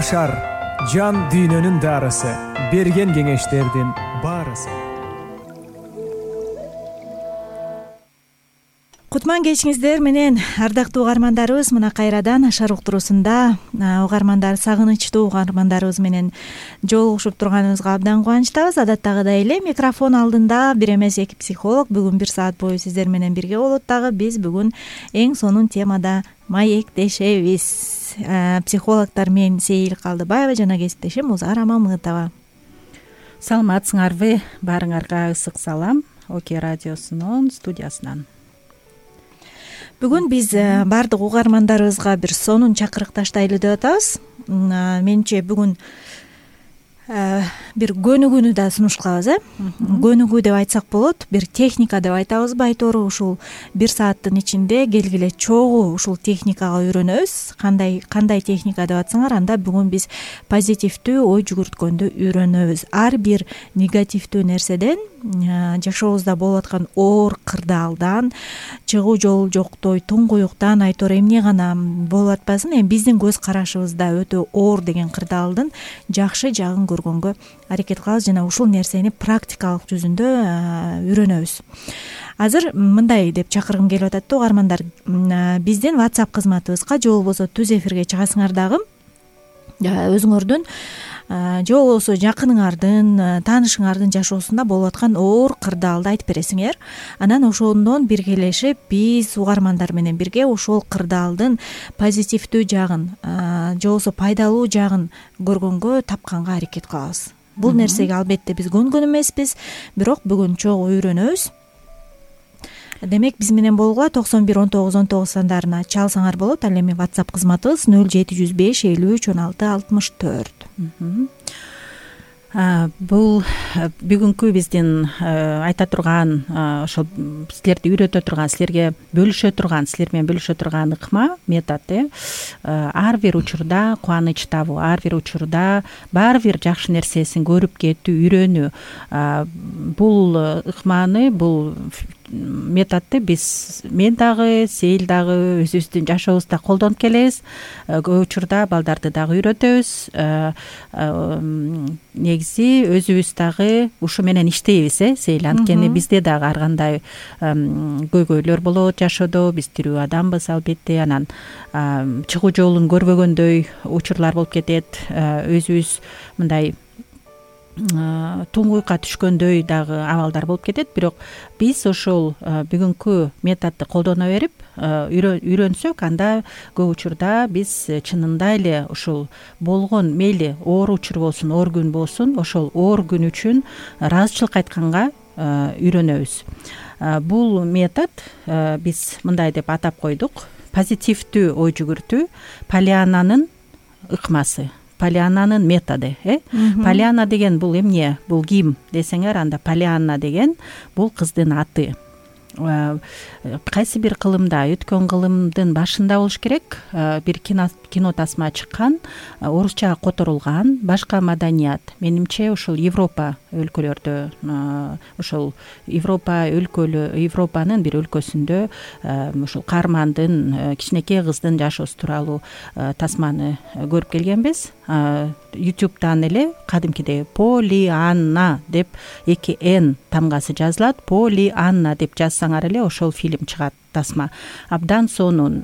Башар жан дүйнөнүн дарысы, берген кеңештердин баарысы. Кутман кечиңиздер менен ардактуу угармандарыбыз, мына кайрадан Ашар уктуруусунда угармандар, сагынычтуу угармандарыбыз менен жолугушуп турганыбызга абдан кубанычтабыз. Адаттагыдай эле микрофон алдында бир эмес эки психолог бүгүн 1 саат бою сиздер менен бирге болот. Дагы биз бүгүн эң сонун темада маектешебиз. Психологдор мен Сейил Калдыбаева жана кесиптешим Узара Мамытова. Саламатсыңарбы? Баарыңарга ысык салам Оке радиосунун студиясынан. Бүгүн биз баардык угармандарыбызга бир сонун чакырык таштайлы деп атабыз. Менимче бүгүн бир көнүгүүнү да сунушталабыз. Көнүгүү деп айтсак болот, бир техника деп айтабызбы, айтору ушул 1 сааттын ичинде келгиле чогуу ушул техникага үйрөнөбүз. Кандай техника деп атсаңар, анда бүгүн биз позитивдүү ой жүгүрткөндү үйрөнөбүз. Ар бир негативдүү нерседен, жашообузда болуп аткан оор кырдаалдан, чыгуу жолу жоктой туңгуюктан, айтору эмне гана болуп атпасын, эми биздин көз карашыбызда өтө оор деген кырдаалдын жакшы жагын көргөнгө аракет кылабыз жана ушул нерсени практикалык жүзүндө үйрөнөбүз. Азыр мындай деп чакыргым келип атат да угармандар, биздин WhatsApp кызматыбызга же болбосо түз эфирге чыгасыңар дагы өзүңөрдүн же болбосо жакыныңардын, таанышыңардын жашоосунда болуп аткан оор кырдаалды айтып бересиңер. Анан ошондон биргелешип биз угармандар менен бирге ошол кырдаалдын позитивдүү жагын же болбосо пайдалуу жагын көргөнгө, тапканга аракет кылабыз. Бул нерсеге албетте биз көнгөн эмеспиз, бирок бүгүн чогуу үйрөнөбүз. Демек биз менен болгула 911919 сандарына чалсаңар болот. Ал эми WhatsApp кызматыбыз 0705 53 16 64. Бул бүгүнкү биздин айта турган, ошол силерди үйрөтө турган, силерге бөлүшө турган, силер менен бөлүшө турган ыкма, метод. Ар бир учурда кубаныч табуу, ар бир учурда баары бир жакшы нерсесин көрүп кетүү, үйрөнүү. Бул ыкманы, бул методду мен дагы, Сейил дагы өзүбүздүн жашообузда колдонуп келебиз. Көп учурда балдарды дагы үйрөтөбүз. Негизи өзүбүз дагы ушу менен иштейбиз, Сейил. Анткени бизде дагы ар кандай көйгөйлөр болот жашоодо. Биз тирүү адамбыз албетте. Анан чыгуу жолун көрбөгөндөй учурлар болуп кетет. Өзүбүз мындай туңгуйукка түшкөндөй дагы абалдар болуп кетет. Бирок биз ошол бүгүнкү методду колдоно берип үйрөнсөк, анда көп учурда биз чынында эле ушул болгон, мейли оор учур болсун, оор күн болсун, ошол оор күн үчүн ыраазычылык айтканга үйрөнөбүз. Бул метод биз мындай деп атап койдук: позитивдүү ой жүгүртүү, Полианнанын ыкмасы, Полианнанын методу. Полианна деген бул эмне? Бул ким десеңер, анда Полианна деген бул кыздын аты. Кайсы бир кылымда, өткөн кылымдын башында болуш керек, бир кино тасма чыккан, орусчага которулган, башка маданият. Менимче ушул Европа өлкөлөрдө, ушул Европанын бир өлкөсүндө ушул каармандын, кичинекей кыздын жашоосу тууралуу тасманы көрүп келгенбиз. YouTube'дан эле кадимкидей Полианна деп 2 N тамгасы жазылат. Полианна деп жазсаңар эле ошол фильм чыгат, тасма. Абдан сонун.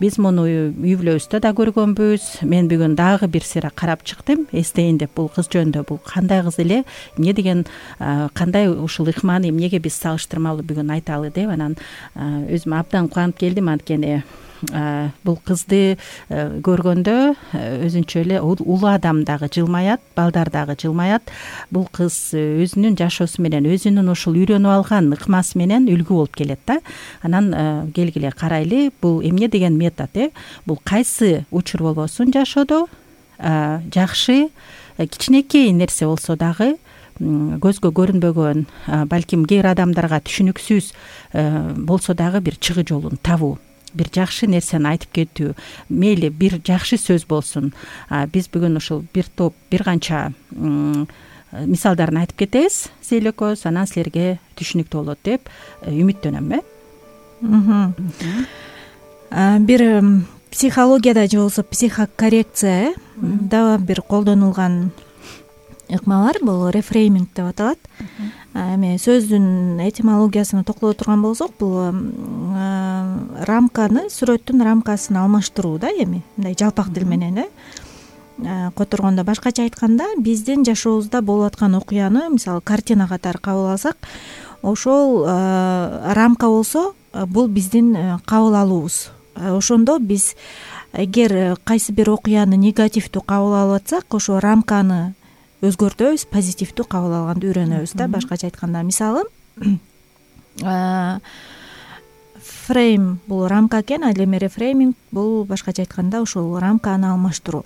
Биз муну үй-бүлөбүздө да көргөнбүз. Мен бүгүн дагы бир сыйра карап чыктым, эстейин деп, бул кыз жөнүндө. Бул кандай кыз эле, эмне деген, кандай ушул ыкманы эмнеге биз салыштырмалуу бүгүн айталы деп, анан өзүм абдан кубанып келдим. Анткени бул кызды көргөндө өзүнчө эле улуу адам дагы жылмаят, балдар дагы жылмаят. Бул кыз өзүнүн жашоосу менен, өзүнүн ушул үйрөнүп алган ыкмасы менен үлгү болуп келет да. Анан келгиле карайлы, бул эмне деген метод? Бул кайсы учур болбосун жашоодо, жакшы кичинекей нерсе болсо дагы, көзгө көрүнбөгөн, балким кээ бир адамдарга түшүнүксүз болсо дагы бир чыгуу жолун табуу, бир жакшы нерсени айтып кетүү, мейли бир жакшы сөз болсун. Биз бүгүн ушул бир топ, бир канча мисалдарын айтып кетебиз, Сейил экөөбүз, анан силерге түшүнүктүү болот деп үмүттөнөм. Бир психологияда же болбосо психокоррекция дагы бир колдонулган ыкма бар. Бул рефрейминг деп аталат. Эми сөздүн этимологиясына токтоло турган болсок, бул рамканы, сүрөттүн рамкасын алмаштыруу да, эми мындай жалпак тил менен которгондо. Башкача айтканда, биздин жашообузда болуп аткан окуяны мисалы картина катары кабыл алсак, ошол рамка болсо, бул биздин кабыл алуубуз. Ошондо биз эгер кайсы бир окуяны негативдүү кабыл алып атсак, ошо рамканы өзгөртөбүз, позитивдүү кабыл алганды үйрөнөбүз да. Башкача айтканда, мисалы фрейм бул рамка экен, ал эми рефрейминг бул башкача айтканда ушул рамканы алмаштыруу.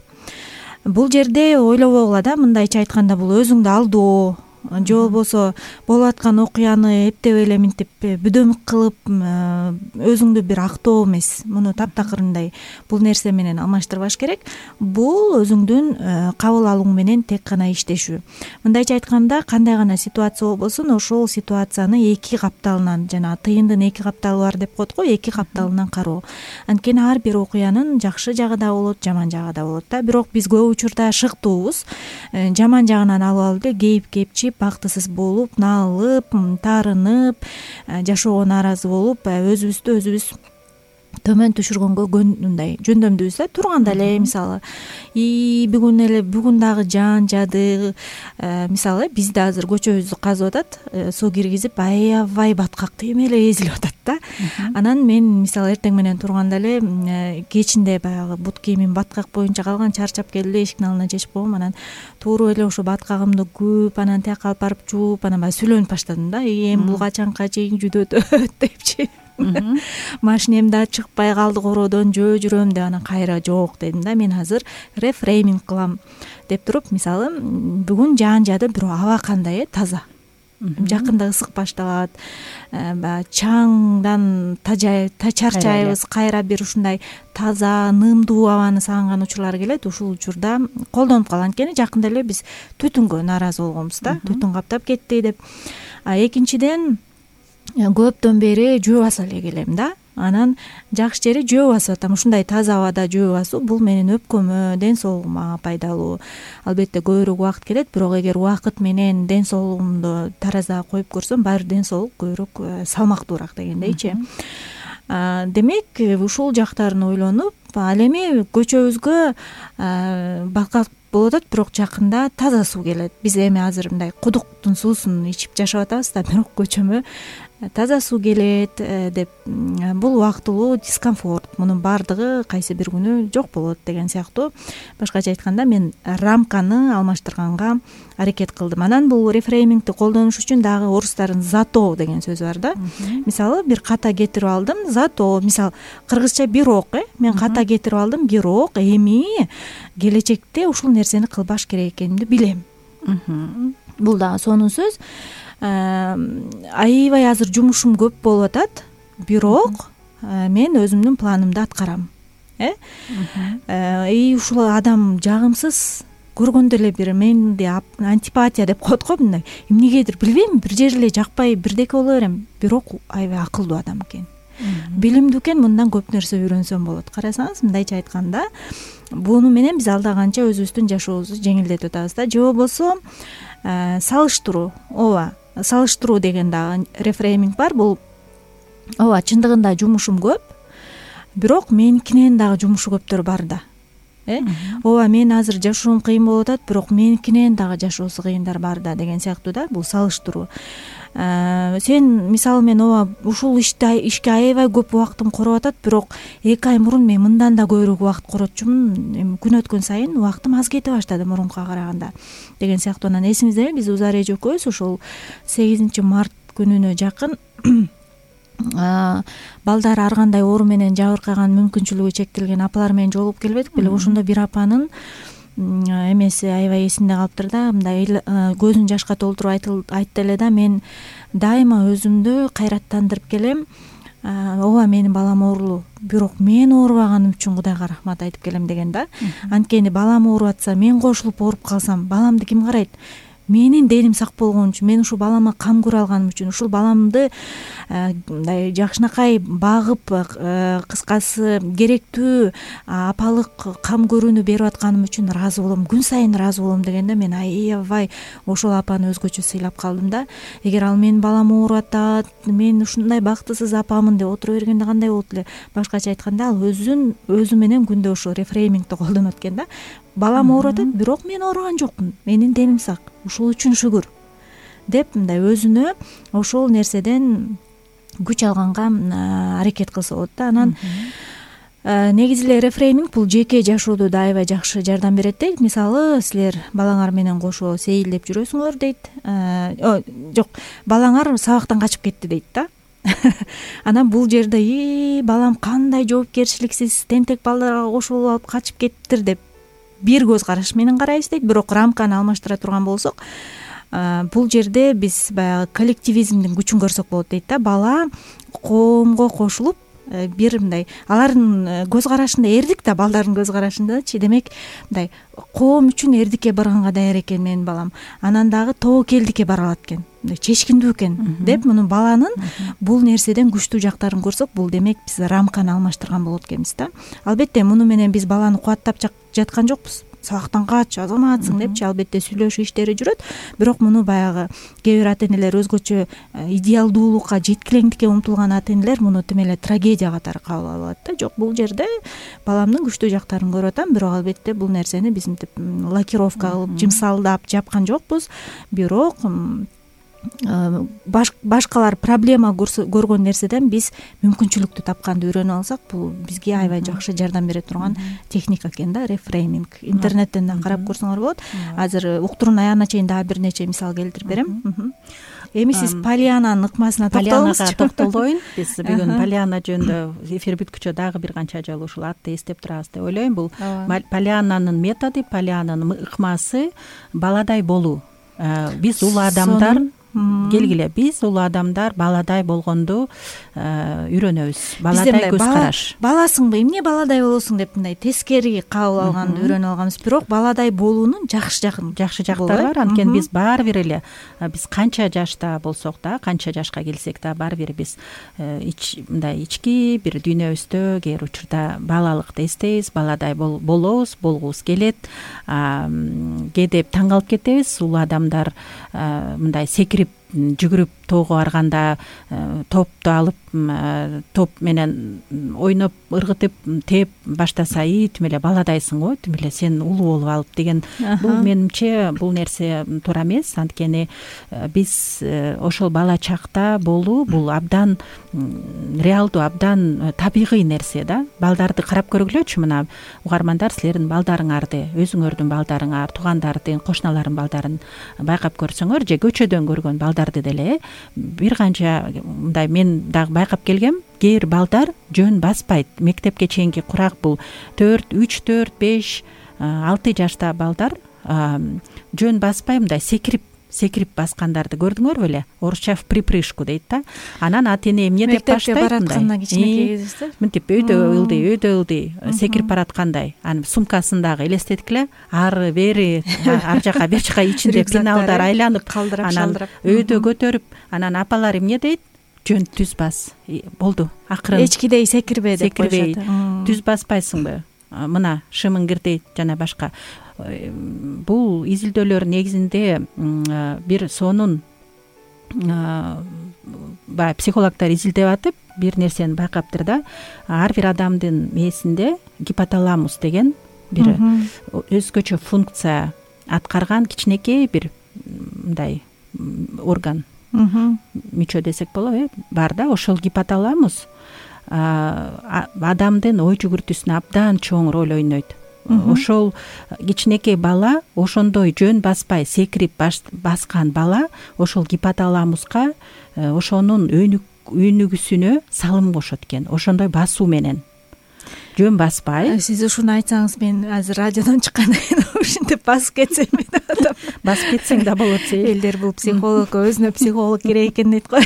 Бул жерде ойлобогула да, мындайча айтканда, бул өзүңдү алдоо же болбосо болуп аткан окуяны эптеп эле мынтип бүдөмүк кылып өзүңдү бир актоо эмес. Муну таптакырындай бул нерсе менен алмаштырбаш керек. Бул өзүңдүн кабыл алууң менен тек гана иштешүү. Мындайча айтканда, кандай гана ситуация болбосун, ошол ситуацияны эки капталынан, жана тыйындын эки капталы бар деп коет го, эки капталынан кароо. Анткени ар бир окуянын жакшы жагы да болот, жаман жагы да болот да. Бирок биз көп учурда шыктуубуз жаман жагынан алып алып эле кейип-кейипчи, бактысыз болуп, налып, таарынып, жашоого нааразы болуп, өзүбүз төмөн түшүргөнгө мындай жөндөмдүүбүз да. Турганда эле мисалы бүгүн дагы жаан жады, мисалы бизде азыр көчөбүздү казып атат, суу киргизип, аябай баткактуу эме эле эзилип атат да. Анан мен мисалы эртең менен турганда эле кечинде баягы бут кийимим баткак боюнча калган, чарчап келип эле эшиктин алдына чечип койгом. Анан тууруп эле ошо баткагымды күп, анан тияка алып барып жууп, анан баягы сүйлөнүп баштадым да. Эми бул качанка чейин жүдөтөт депчи. Машинем да чыкпай калды короодон, жөө жүрөм деп, анан кайра жок дедим да. Мен азыр рефрейминг кылам деп туруп, мисалы бүгүн жаан жады, бирок аба кандай, таза. Жакында ысык башталат, чаңдан чарчайбыз, кайра бир ушундай таза, нымдуу абаны сагынган учурлар келет. Ушул учурда колдонуп калам. Анткени жакында эле биз түтүнгө нааразы болгонбуз да, түтүн каптап кетти деп. Экинчиден, көптөн бери жөө баса эле келем да. Анан жакшы жери жөө басып атам. Ушундай таза абада жөө басуу бул менин өпкөмө, ден соолугума пайдалуу. Албетте көбүрөөк убакыт келет, бирок эгер убакыт менен ден соолугумду таразага коюп көрсөм, баары ден соолук көбүрөөк салмактуураак дегендейчи. Демек, ушул жактарын ойлонуп, ал эми көчөбүзгө баткак болуп атат, бирок жакында таза суу келет. Биз эми азыр мындай кудуктун суусун ичип жашап атабыз да, бирок көчөмө таза суу келет деп, бул убактылуу дискомфорт. Мунун баардыгы кайсы бир күнү жок болот деген сыяктуу. Башкача айтканда, мен рамканы алмаштырганга аракет кылдым. Анан бул рефреймингди колдонуш үчүн дагы орустардын зато деген сөзү бар да. Мисалы бир ката кетирип алдым, зато, мисалы кыргызча бирок, мен ката кетирип алдым, бирок эми келечекте ушул нерсени кылбаш керек экенимди билем. Бул дагы сонун сөз. Аябай азыр жумушум көп болуп атат, бирок мен өзүмдүн планымды аткарам. Ушул адам жагымсыз, көргөндө эле бир менде антипатия деп коет го, мындай эмнегедир билбейм, бир жери эле жакпай бирдеке боло берем, бирок аябай акылдуу адам экен, билимдүү экен, мындан көп нерсе үйрөнсөм болот. Карасаңыз, мындайча айтканда, буну менен биз алда канча өзүбүздүн жашообузду жеңилдетип атабыз да. Же болбосо салыштыруу, салыштыруу деген дагы рефрейминг бар. Бул чындыгында жумушум көп, бирок меникинен дагы жумушу көптөр бар да. Мен азыр жашоом кыйын болуп атат, бирок меникинен дагы жашоосу кыйындар бар да деген сыяктуу да. Бул салыштыруу. Сен мисалы, мен ушул ишке аябай көп убактым короп атат, бирок 2 ай мурун мен мындан да көбүрөөк убакыт коротчумун. Эми күн өткөн сайын убактым аз кете баштады мурункуга караганда деген сыяктуу. Анан эсиңизде биз Узар эже экөөбүз ошол 8 март күнүнө жакын балдар ар кандай оору менен жабыркаган, мүмкүнчүлүгү чектелген апалар менен жолугуп келбедик беле. Ошондо бир апанын эмеси аябай эсимде калыптыр да. Мындай көзүн жашка толтуруп айтты эле да: мен дайыма өзүмдү кайраттандырып келем. Менин балам оорулуу, бирок мен оорубаганым үчүн Кудайга рахмат айтып келем деген да. Анткени балам ооруп атса, мен кошулуп ооруп калсам, баламды ким карайт? менин деним сак болгон үчүн, мен ушул балама кам көрө алганым үчүн, ушул баламды мындай жакшынакай багып, кыскасы керектүү апалык кам көрүүнү берип атканым үчүн ыраазы болом, күн сайын ыраазы болом дегенде мен аябай ошол апаны өзгөчө сыйлап калдым да. Эгер ал менин балам ооруп атат, мен ушундай бактысыз апамын деп отура бергенде кандай болот эле? Башкача айтканда, ал өзү менен күндө ошо рефреймингди колдонот экен да. Балам ооруп атат, бирок мен ооруган жокмун, менин деним сак, ушул үчүн шүгүр деп мындай өзүнө ошол нерседен күч алганга аракет кылса болот да. Анан негизи эле рефрейминг бул жеке жашоодо да аябай жакшы жардам берет дейт. Мисалы, силер балаңар менен кошо сейилдеп жүрөсүңөр дейт. Жок, балаңар сабактан качып кетти дейт да. Анан бул жерде балам кандай жоопкерчиликсиз тентек балдарга кошулуп алып качып кеттир деп бир көз караш менен карайбыз дейт. Бирок рамканы алмаштыра турган болсок, бул жерде биз баягы коллективизмдин күчүн көрсөк болот дейт да. Бала коомго кошулуп, бир мындай алардын көз карашында эрдик да, балдардын көз карашындачы, демек мындай коом үчүн эрдикке барганга даяр экен менин балам, анан дагы тобокелдикке бара алат экен, мындай чечкиндүү экен деп, муну баланын бул нерседен күчтүү жактарын көрсөк, бул демек биз рамканы алмаштырган болот экенбиз да. Албетте муну менен биз баланы кубаттап жаткан жокпуз. Сабактан кач, азаматсың депчи, албетте сүйлөшүү иштери жүрөт. Бирок муну баягы кээ бир ата энелер, өзгөчө идеалдуулукка, жеткилеңдикке умтулган ата энелер муну тим эле трагедия катары кабыл алып алат да. Жок, бул жерде баламдын күчтүү жактарын көрүп атам, бирок албетте бул нерсени биз мынтип лакировка кылып, жымсалдап жапкан жокпуз. Бирок башкалар проблема көргөн нерседен биз мүмкүнчүлүктү тапканды үйрөнүп алсак, бул бизге аябай жакшы жардам бере турган техника экен да, рефрейминг. Интернеттен да карап көрсөңөр болот. Азыр уктуруунун аягына чейин дагы бир нече мисал келтирип берем. Эми сиз Полиананын ыкмасына токтолуңузчу. Токтолоюн. Биз бүгүн Полиана жөнүндө эфир бүткүчө дагы бир канча жолу ушул атты эстеп турабыз деп ойлойм. Бул Полиананын методу, Полиананын ыкмасы баладай болуу. Биз улуу адамдар келгиле, биз улуу адамдар баладай болгонду үйрөнөбүз. Баладай көз караш. Баласыңбы, эмне баладай болосуң деп мындай тескери кабыл алганды үйрөнүп алганбыз. Бирок баладай болуунун жакшы жактары бар. Анткени биз баары бир эле, биз канча жашта болсок да, канча жашка келсек да, баары бир биз мындай ички бир дүйнөбүздө кээ бир учурда балалыкты эстейбиз, баладай болобуз, болгубуз келет. Кээде таң калып кетебиз, улуу адамдар мындай секирип жүгүрүп тоого барганда топту алып, топ менен ойноп, ыргытып, тээп баштаса, тим эле баладайсың го, тим эле сен улуу болуп алып деген. Бул менимче бул нерсе туура эмес. Анткени биз ошол бала чакта болуу бул абдан реалдуу, абдан табигый нерсе да. Балдарды карап көргүлөчү, мына угармандар, силердин балдарыңарды, өзүңөрдүн балдарыңар, туугандардын, кошуналардын балдарын байкап көрсөңөр, же көчөдөн көргөн балдарды деле бир канча мындай мен дагы байкап келгем. Кээ бир балдар жөн баспайт. Мектепке чейинки курак бул 3, 4, 5, 6 жашта балдар жөн баспай мындай секирип баскандарды көрдүңөрбү эле? Орусча в припрыжку дейт да. Анан ата эне эмне деп баштайт мындай? Мынтип өйдө ылдый секирип бараткандай. Анын сумкасындагы элестеткиле, ары бери, ар жака бер жака ичинде пеналдар айланып, анан өйдө көтөрүп, анан апалар эмне дейт? Жөн түз бас. Болду. Акырын. Эчкидей секирбе деп коюшат. Түз баспайсыңбы? Мына шымыңгырдей жана башка. Бул изилдөөлөр негизинде бир сонун баягы психологдор изилдеп атып бир нерсени байкаптыр да. Ар бир адамдын мээсинде гипоталамус деген бир өзгөчө функция аткарган кичинекей бир мындай орган, мүчө десек болот, бар да. Ошол гипоталамус адамдын ой жүгүртүүсүнө абдан чоң роль ойнойт. Ошол кичинекей бала, ошондой жөн баспай секирип баскан бала ошол гипоталамуска ошонун өнүгүүсүнө салым кошот экен. Ошондой басуу менен жөн баспай. Сиз ушуну айтсаңыз, мен азыр радиодон чыккандан кийин ушинтип басып кетсем деп атам. Басып кетсең да болот. Элдер бул психолог, өзүнө психолог керек экен дейт го.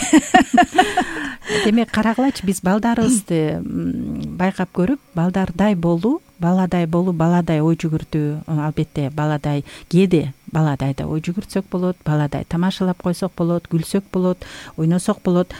Демек карагылачы, биз балдарыбызды байкап көрүп, балдардай болуу, баладай ой жүгүртүү, албетте баладай кээде баладай да ой жүгүртсөк болот, баладай тамашалап койсок болот, күлсөк болот, ойносок болот.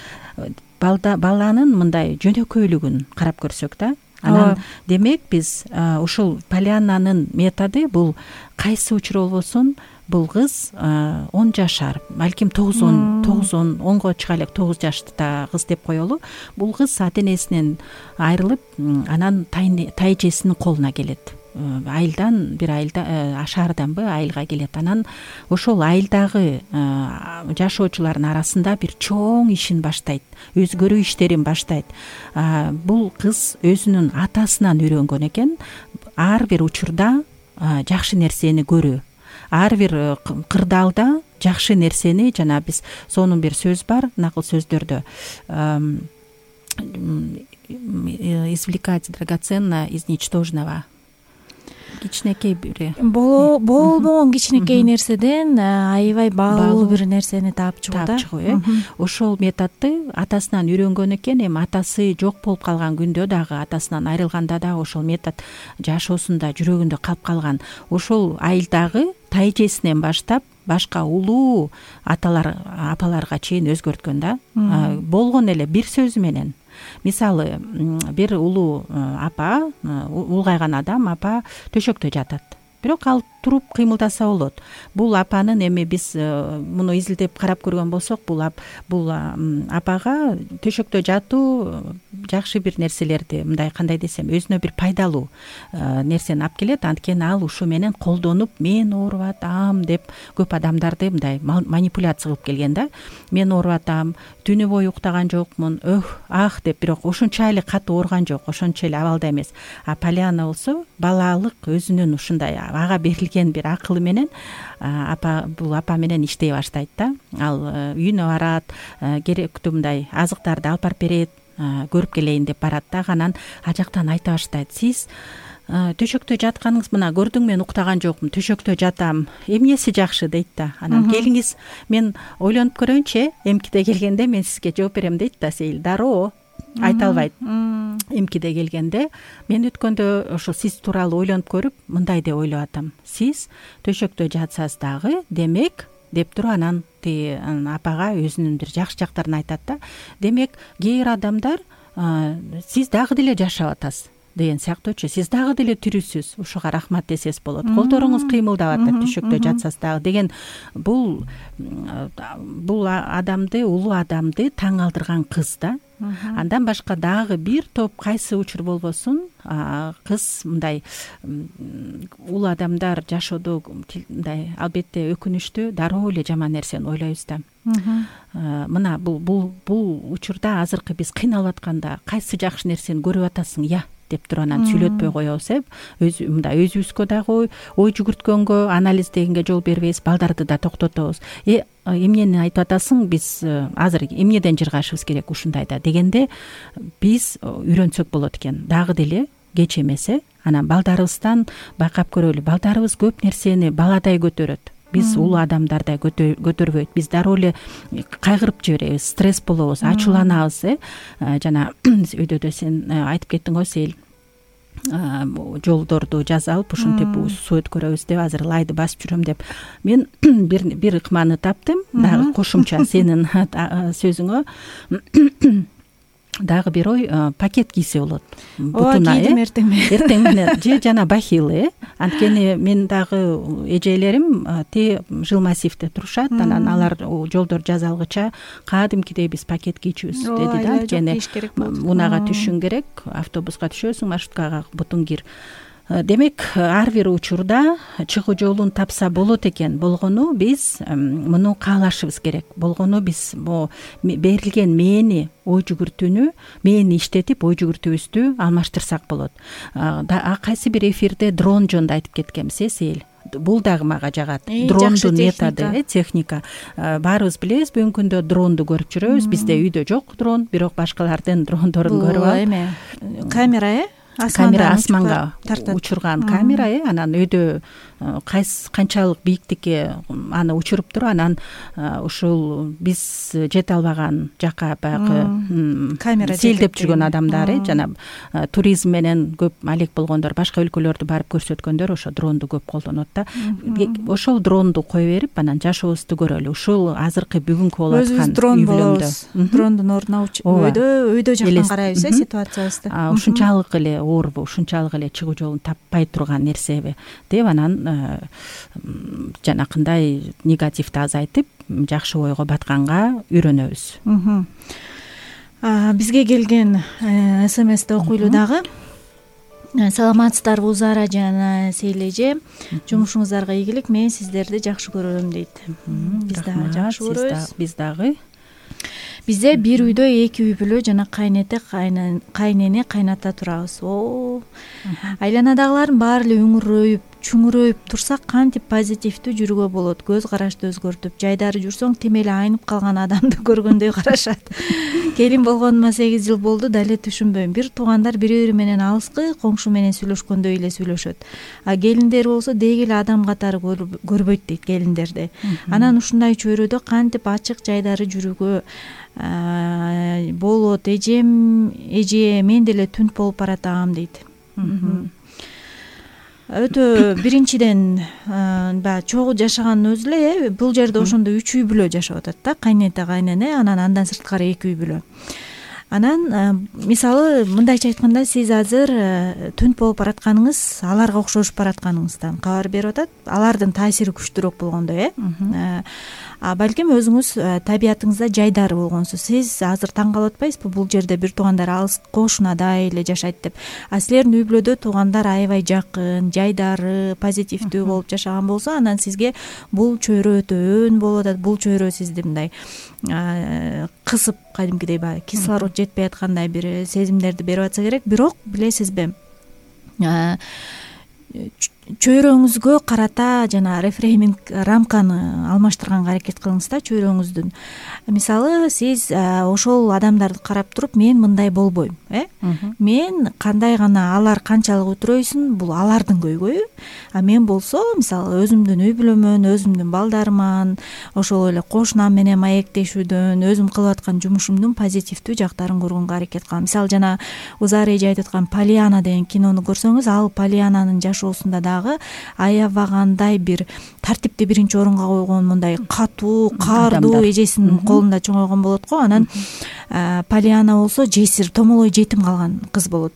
Баланын мындай жөнөкөйлүгүн карап көрсөк да, анан демек биз ушул Полианнанын методу бул кайсы учур болбосун бул кыз 10 жашар, балким 9-10 чыга элек, 9 жашта кыз деп коелу. Бул кыз ата энесинен айрылып, анан тайэжесинин колуна келет. Бир айылда шаарданбы айылга келет. Анан ошол айылдагы жашоочулардын арасында бир чоң ишин баштайт, өзгөрүү иштерин баштайт. Бул кыз өзүнүн атасынан үйрөнгөн экен. Ар бир учурда жакшы нерсени көрүү, ар бир кырдаалда жакшы нерсени, жана биз сонун бир сөз бар, накыл сөздөрдө извлекать драгоценно из ничтожного. Кичинекей бир болбогон кичинекей нерседен аябай баалуу бир нерсени таап чыгуу. Ошол методду атасынан үйрөнгөн экен. Эми атасы жок болуп калган күндө дагы, атасынан айрылганда дагы ошол метод жашоосунда жүрөгүндө калып калган. Ошол айылдагы тайэжесинен баштап башка улуу апаларга чейин өзгөрткөн да. Болгон эле бир сөзү менен. Мисалы, бир улуу апа, улгайган адам апа төшөктө жатат. Бирок ал туруп кыймылдаса болот. Бул апанын, эми биз муну изилдеп карап көргөн болсок, бул апага төшөктө жатуу жакшы бир нерселерди, мындай кандай десем, өзүнө бир пайдалуу нерсени алып келет. Анткени ал ушу менен колдонуп, мен ооруп атам деп көп адамдарды мындай манипуляция кылып келген да. Мен ооруп атам, түнү бою уктаган жокмун, деп, бирок ошончо эле катуу ооруган жок, ошончо эле абалда эмес. Полианна болсо балалык өзүнүн ушундай ага берилген бир акылы менен бул апа менен иштей баштайт да. Ал үйүнө барат, керектүү мындай азыктарды алып барып берет, көрүп келейин деп барат да. Анан ал жактан айта баштайт: сиз төшөктө жатканыңыз, мына көрдүң, мен уктаган жокмун, төшөктө жатам, эмнеси жакшы дейт да. Анан келиңиз, мен ойлонуп көрөйүнчү, эмкиде келгенде мен сизге жооп берем дейт да. Сейил дароо айта албайт. Эмкиде келгенде мен өткөндө ошо сиз тууралуу ойлонуп көрүп, мындай деп ойлоп атам. Сиз төшөктө жатсаңыз дагы, демек деп туруп анан апага өзүнүн бир жакшы жактарын айтат да. Демек кээ бир адамдар сиз дагы деле жашап атасыз деген сыяктуучу, сиз дагы деле тирүүсүз, ушуга рахмат десеңиз болот, колдоруңуз кыймылдап атат төшөктө жатсаңыз дагы деген. Бул адамды, улуу адамды таң алдырган кыз да. Андан башка дагы бир топ кайсы учур болбосун, кыз мындай улуу адамдар жашоодо мындай албетте өкүнүчтүү, дароо эле жаман нерсени ойлойбуз да. Мына бул учурда азыркы биз кыйналып атканда кайсы жакшы нерсени көрүп атасың деп туруп анан сүйлөтпөй коебуз, мындай өзүбүзгө дагы ой жүгүрткөнгө, анализдегенге жол бербейбиз, балдарды да токтотобуз. Эмнени айтып атасың, биз азыр эмнеден жыргашыбыз керек ушундай да дегенде биз үйрөнсөк болот экен. Дагы деле кеч эмес, анан балдарыбыздан байкап көрөлү. Балдарыбыз көп нерсени баладай көтөрөт. Биз улуу адамдардай көтөрбөйт. Биз дароо эле кайгырып жиберебиз, стресс болобуз, ачууланабыз. Жана өйдө сен айтып кеттиң го, Сейил, жолдорду жаза алып ушинтип суу өткөрөбүз деп, азыр лайды басып жүрөм деп. Мен бир ыкманы таптым, дагы кошумча сенин сөзүңө. Дагы бир ой, пакет кийсе болот. Бутуна эртең менен же жана бахилы. Анткени мен дагы эжелерим жилмассивде турушат, анан алар жолдор жаза алгыча кадимкидей биз пакет кийчүбүз деди да. Анткени унага түшүң керек, автобуска түшөсүң, маршруткага бутун кир. Демек, ар бир учурда чыгуу жолун тапса болот экен. Болгону биз муну каалашыбыз керек. Болгону биз берилген мээни, ой жүгүртүүнү, мээни иштетип, ой жүгүртүүбүздү алмаштырсак болот. Кайсы бир эфирде дрон жөнүндө айтып кеткенбиз, Сейил. Бул дагы мага жагат. Дрондун методу, техника. Баарыбыз билебиз, бүгүнкү күндө дронду көрүп жүрөбүз. Бизде үйдө жок дрон, бирок башкалардын дрондорун көрүп алып. Камера, камера, асманга учурган камера, анан өйдө канчалык бийиктикке аны учуруптур, анан ушул биз жете албаган жака баягы камера сейилдеп жүргөн адамдар, жана туризм менен көп алек болгондор, башка өлкөлөрдү барып көрсөткөндөр ошо дронду көп колдонот да. Ошол дронду кое берип, анан жашообузду көрөлү. Ушул азыркы бүгүнкү болуп аткан дрон болобуз. Дрондун ордуна өйдө жактан карайбыз ситуациябызды. Ушунчалык эле оорбу, ушунчалык эле чыгуу жолун таппай турган нерсеби деп, анан жанакындай негативди азайтып, жакшы ойго батканга үйрөнөбүз. Бизге келген СМСти окуйлу дагы. Саламатсыздарбы Узара жана Сейле эже, жумушуңуздарга ийгилик, мен сиздерди жакшы көрөм дейт. Биз дагы жакшы көрөбүз. Биз дагы. Бизде бир үйдө 2 үй бүлө жана кайнете кайнене кайната турабыз. Айланадагылардын баары эле үңүрөйүп, чүңүрөйүп турса кантип позитивдүү жүрүүгө болот? Көз карашты өзгөртүп, жайдары жүрсөң тим эле айнып калган адамды көргөндөй карашат. Келин болгонума 8 жыл болду, дале түшүнбөйм. Бир туугандар бири-бири менен алыскы, коңшу менен сүйлөшкөндөй эле сүйлөшөт. Келиндер болсо деги эле адам катары көрбөйт дейт келиндерди. Анан ушундай чөйрөдө кантип ачык жайдары жүрүүгө болот? Эже, мен деле түнт болуп баратам дейт. Өтө биринчиден баягы чогуу жашаганын өзү эле бул жерде ошондо 3 үй бүлө жашап атат да, кайнете кайнене, анан андан сырткары 2 үй бүлө. Анан мисалы мындайча айтканда, сиз азыр түнт болуп баратканыңыз аларга окшошуп баратканыңыздан кабар берип атат. Алардын таасири күчтүүрөөк болгондой, балким өзүңүз табиятыңызда жайдары болгонсуз. Сиз азыр таң калып атпайсызбы, бул жерде бир туугандар алыс кошунадай эле жашайт деп. Силердин үй бүлөдө туугандар аябай жакын, жайдары, позитивдүү болуп жашаган болсо, анан сизге бул чөйрө өтө өн болуп атат. Бул чөйрө сизди мындай кысып, кадимкидей баягы кислород жетпей аткандай бир сезимдерди берип атса керек. Бирок билесизби, чөйрөңүзгө карата жана рефрейминг рамканы алмаштырганга аракет кылыңыз да, чөйрөңүздүн. Мисалы сиз ошол адамдарды карап туруп, мен мындай болбойм, мен кандай гана, алар канчалык өтүрөйсүн, бул алардын көйгөйү. Мен болсо, мисалы өзүмдүн үй бүлөмөн, өзүмдүн балдарыман, ошол эле кошунам менен маектешүүдөн, өзүм кылып аткан жумушумдун позитивдүү жактарын көргөнгө аракет кылам. Мисалы жана Узара эже айтып аткан Полиана деген кинону көрсөңүз, ал Полиананын жашоосунда дагы аябагандай бир тартипти биринчи орунга койгон, мындай катуу, каардуу эжесинин колунда чоңойгон болот го. Анан Полиана болсо жесир, томолой жетим калган кыз болот.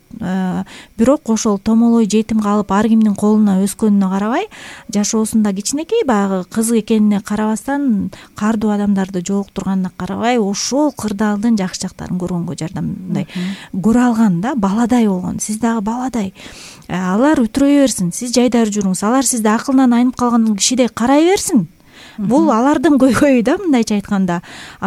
Бирок ошол томолой жетим калып ар кимдин колуна өскөнүнө карабай, жашоосунда кичинекей баягы кыз экенине карабастан, каардуу адамдарды жолуктурганына карабай, ошол кырдаалдын жакшы жактарын көргөнгө жардамдай көрө алган да, баладай болгон. Сиз дагы баладай. Алар өтүрөй берсин, сиз жайдары жүрүңүз. Алар сизди акылынан айнып калган кишидей карай берсин. Бул алардын көйгөйү да, мындайча айтканда.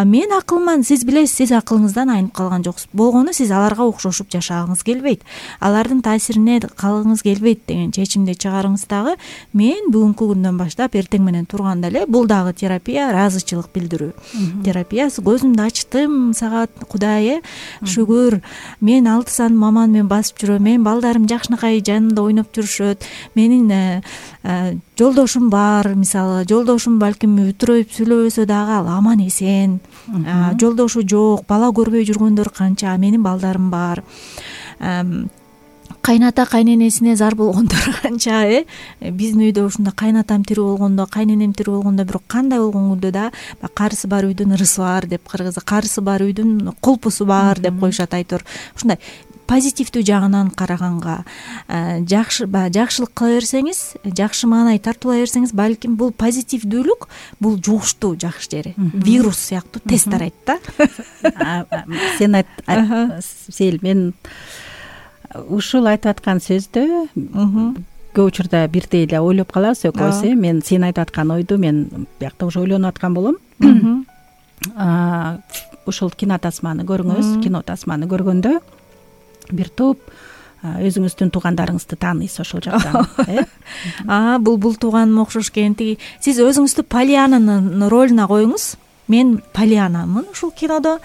Мен акылман, сиз билесиз, сиз акылыңыздан айнып калган жоксуз. Болгону сиз аларга окшошуп жашагыңыз келбейт, алардын таасирине калгыңыз келбейт деген чечимди чыгарыңыз дагы. Мен бүгүнкү күндөн баштап эртең менен турганда эле, бул дагы терапия, ыраазычылык билдирүү терапиясы. Көзүмдү ачтым, сага Кудай, шүгүр, мен 6 сан маманы менен басып жүрөм, менин балдарым жакшынакай жанымда ойноп жүрүшөт, менин жолдошум бар, мисалы жолдошум балким өтүрөйүп сүйлөбөсө дагы ал аман эсен, жолдошу жок, бала көрбөй жүргөндөр канча, менин балдарым бар. Кайната кайненесине зар болгондор канча, биздин үйдө ушунда кайнатам тирүү болгондо, кайненем тирүү болгондо, бирок кандай болгон күндө да карысы бар үйдүн ырысы бар деп, кыргызда карысы бар үйдүн кулпусу бар деп коюшат айтор. Ушундай позитивдүү жагынан караганга, жакшылык кыла берсеңиз, жакшы маанай тартуулай берсеңиз, балким бул позитивдүүлүк, бул жугуштуу жакшы жери, вирус сыяктуу тез тарайт да. Сен Сейл, мен ушул айтып аткан сөздө көп учурда бирдей эле ойлоп калабыз экөөбүз. Мен сен айтып аткан ойду мен биякта уже ойлонуп аткан болом. Ушул кино тасманы көрүңүз, кино тасманы көргөндө бир топ өзүңүздүн туугандарыңызды тааныйсыз ошол жактан. Бул тууганыма окшош экен. Сиз өзүңүздү Полиананын ролуна коюңуз. мен Полианамын ушул кинодо.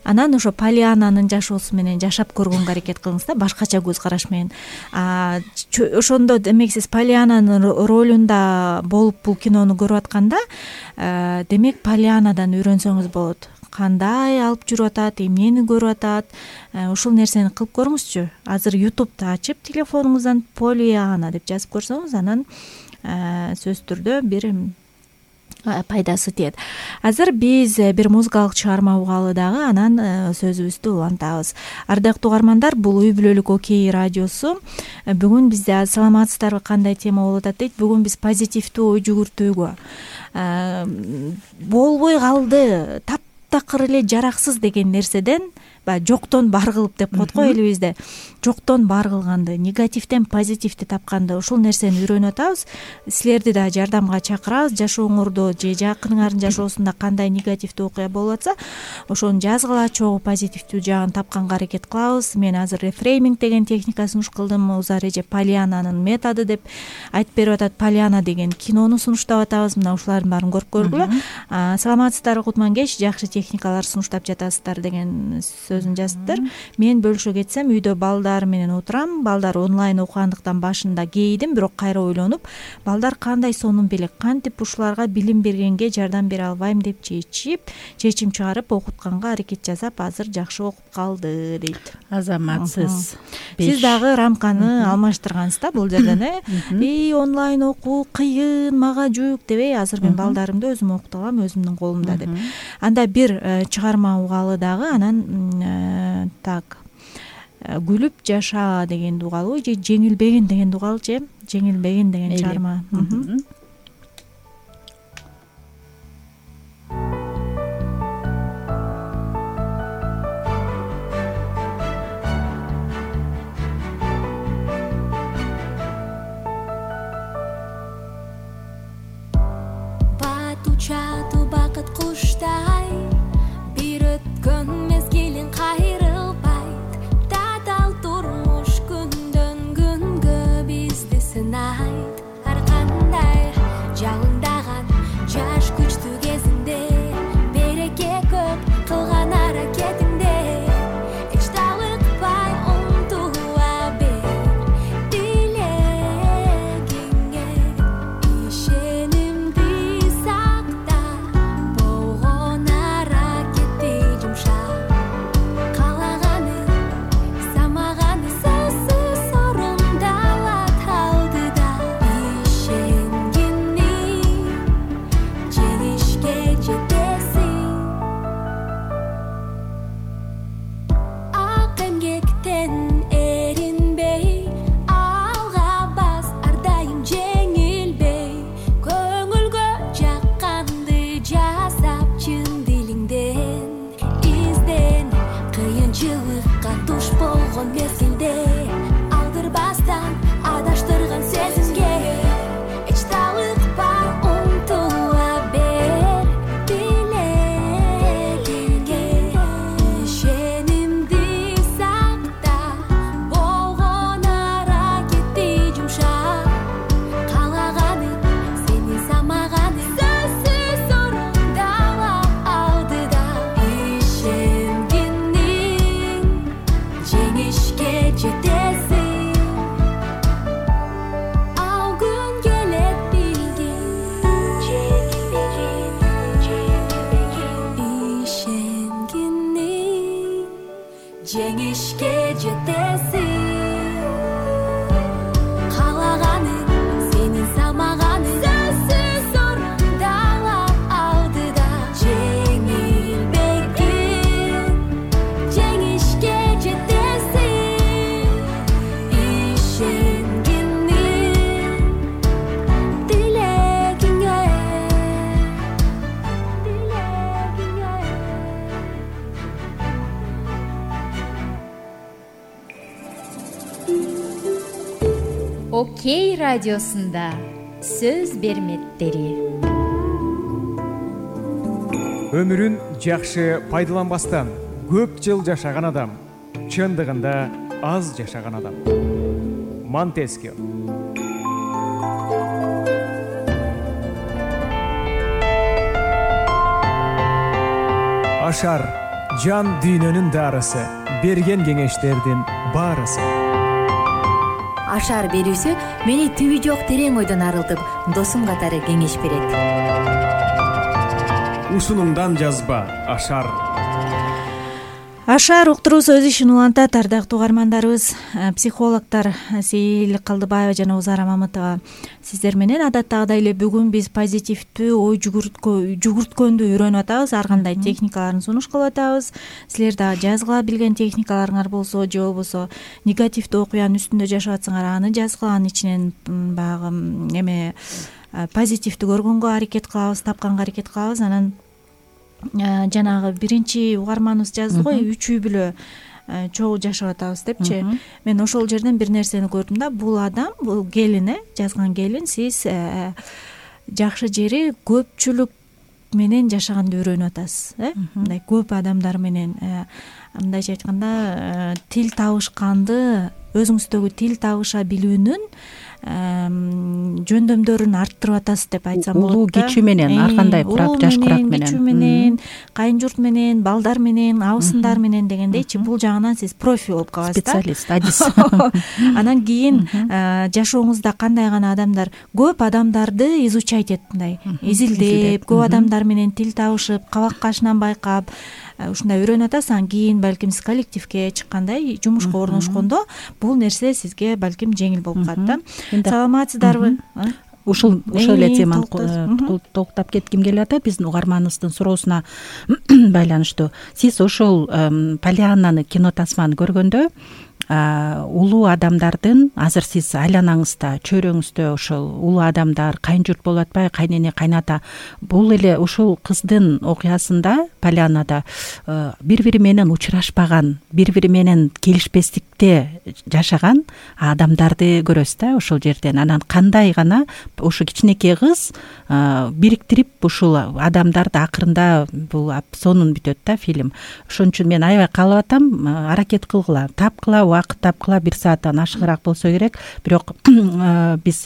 Анан ошо Полиананын жашоосу менен жашап көргөнгө аракет кылыңыз да, башкача көз караш менен. Ошондо демек сиз Полиананын ролунда болуп бул кинону көрүп атканда, демек Полианадан үйрөнсөңүз болот. Кандай алып жүрүп атат, эмнени көрүп атат, ушул нерсени кылып көрүңүзчү. Азыр YouTube'да ачып телефонуңуздан Полиана деп жазып көрсөңүз, анан сөзсүз түрдө бир пайдасы тиет. Азыр биз бир музыкалык чыгарма угалы дагы, анан сөзүбүздү улантабыз. Ардактуу угармандар, бул Үй бүлөлүк Окей радиосу. Бүгүн бизде саламатсыздарбы, кандай тема болуп атат дейт. Бүгүн биз позитивдүү ой жүгүртүүгө, болбой калды, таптакыр эле жараксыз деген нерседен, баягы жоктон бар кылып деп коет го элибизде. Жоктон бар кылганды, негативден позитивди тапканды, ушул нерсени үйрөнүп атабыз. Силерди да жардамга чакырабыз. Жашооңордо же жакыныңардын жашоосунда кандай негативдүү окуя болуп атса, ошону жазгыла, чогуу позитивдүү жагын тапканга аракет кылабыз. Мен азыр рефрейминг деген техникасын суш кылдым. Узар эже Полиананын методу деп айтып берип атат. Полиана деген кинону сунуштап атабыз. Мына ушулардын баарын көрүп көргүлө. Саламатсыздарбы Кутман кеш, жакшы техникалар сунуштап жатасыздар деген сөзүн жазыптыр. Мен бөлүшө кетсем, үйдө балдар менен отурам. Балдар онлайн окугандыктан башында кейдим, бирок кайра ойлонуп, балдар кандай сонун белек, кантип ушуларга билим бергенге жардам бере албайм деп чечим чыгарып окутканга аракет жасап, азыр жакшы окуп калды дейт. Азаматсыз. Сиз дагы рамканы алмаштыргансыз да бул жерден, онлайн окуу кыйын, мага жүк дебей, азыр мен балдарымды өзүм окута алам, өзүмдүн колумда деп. Анда бир чыгарма угалы дагы, анан так күлүп жаша деген угалы же жеңилбегин деген угалы же жеңилбегин деген чыгарма. Батучату бакыт куштай, бир өткөн мезгилин кайрылбайт. Татал турмуш күндөн күнгө бизди сынайт. Ар кандай жалындаган жаш күчтүү кезинде, береке көп кылган аракетиңде, эч талыкпай умтула бер тилегиңе. Ишенимди сакта, болгон аракетти жумшап, каалаганы самаганы сөзсүз орундалат алдыда. Ишенгенни жеңишке жетесиң. Ак эмгектен эринбей, алга бас, ар дайым жеңилбей, көңүлгө жакканды жасап, чын дилиңден изден. Кыйынчылыкка туш болгон мезгилде, алдырбастан адаштырган сезимге, эч талыкпай умтула бер тилегиңе. Ишенимди сакта, болгон аракетти жумшап, каалаганы сени самаганы сөзсүз орундалат алдыда. Ишенгенниң жеңишке жетесиң. Ал күн келет билгин, ишенгенниң жеңишке жетесиң. Каалаганың сенин самаганың сөзсүз орундалат алдыда. Жеңилбегин жеңишке жетесиң. Ишенгенниң тилегиңе. Окей радиосунда сөз берметтери. Өмүрүн жакшы пайдаланбастан көп жыл жашаган адам чындыгында аз жашаган адам. Монтескье. Ашар жан дүйнөнүн дарысы, берген кеңештердин баарысы. Ашар берүүсү мени түбү жок терең ойдон арылтып, досум катары кеңеш берет. Ушунуңдан жазба Ашар. Ашар уктуруусу өз ишин улантат. Ардактуу угармандарыбыз, психологдор Сейил Калдыбаева жана Узара Мамытова сиздер менен адаттагыдай эле бүгүн биз позитивдүү ой жүгүрткөндү үйрөнүп атабыз. Ар кандай техникаларын сунуш кылып атабыз. Силер дагы жазгыла билген техникаларыңар болсо же болбосо негативдүү окуянын үстүндө жашап атсаңар аны жазгыла, анын ичинен баягы эме позитивди көргөнгө аракет кылабыз, тапканга аракет кылабыз. Анан жанагы биринчи угарманыбыз жазды го, үчүү бүлө чогуу жашап атабыз депчи. Мен ошол жерден бир нерсени көрдүм да. Бул адам, бул келин, жазган келин, сиз жакшы жери көпчүлүк менен жашаганды үйрөнүп атасыз. Мындай көп адамдар менен, мындайча айтканда, тил табышканды, өзүңүздөгү тил табыша билүүнүн жөндөмдөрүн арттырып атасыз деп айтсам болот. Улуу кичи менен, ар кандай курак, жаш курак менен, кичүү менен, кайын журт менен, балдар менен, абысындар менен дегендейчи, бул жагынан сиз профи болуп каласыз да. Специалист, адис. Анан кийин жашооңузда кандай гана адамдар, көп адамдарды изучать этип, мындай изилдеп, көп адамдар менен тил табышып, кабак кашынан байкап, ушундай үйрөнүп атасыз. Анан кийин балким сиз коллективге чыккандай, жумушка орношкондо бул нерсе сизге балким жеңил болуп калат да. Саламатсыздарбы? Ошол эле теманы токтоп кетким келип атат. Биздин угарманыбыздын суроосуна байланыштуу. Сиз ошол Полианнаны кино тасманы көргөндө улуу адамдардын, азыр сиз айланаңызда, чөйрөңүздө ошол улуу адамдар, кайын журт болуп атпайбы, кайнене, кайната, бул эле ушул кыздын окуясында, Полианнада бири-бири менен учурашпаган, бири-бири менен келишпестикте жашаган адамдарды көрөсүз да ошол жерден. Анан кандай гана ошо кичинекей кыз бириктирип ушул адамдарды акырында бул сонун бүтөт да фильм. Ошон үчүн мен аябай каалап атам, аракет кылгыла, тапкыла, убакыт тапкыла, 1 сааттан ашыгыраак болсо керек. Бирок биз